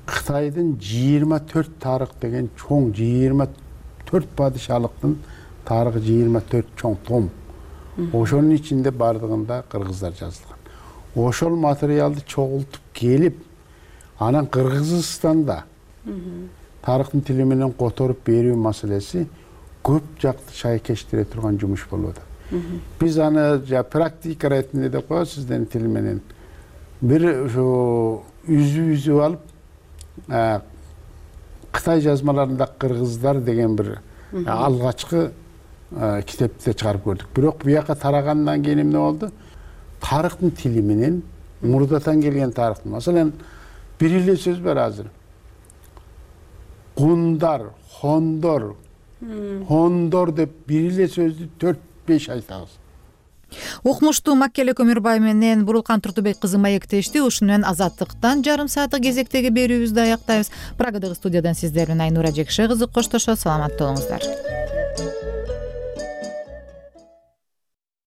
Кытайдын 24 тарых деген чоң 24 падышалыктын тарыхы 24 чоң том. Ошонун ичинде бардыгында кыргыздар жазылган. Ошол материалды чогултуп келип, анан Кыргызстанда тарыхтын тили менен которуп берүү маселеси көп жакты шайкештире турган жумуш болуп атат. Биз аны практика ретинде деп коебуз, сиздин тил менен бир ушу үзүп алып, Кытай жазмаларында кыргыздар деген бир алгачкы китепти чыгарып көрдүк. Бирок буяка тарагандан кийин эмне болду? Тарыхтын тили менен мурдатан келген тарыхтын, маселен, бир эле сөз бар азыр. Гундар, хондор, хондор деп бир эле сөздү 4-5 айтабыз. Окумуштуу Маккеле Көмүрбай менен Бурулкан Туртубек кызы маектешти. Ушуну менен Азаттыктан жарым сааттык кезектеги берүүбүздү аяктайбыз. Прагадагы студиядан сиздер менен Айнура Жекше кызы коштошот. Саламатта болуңуздар.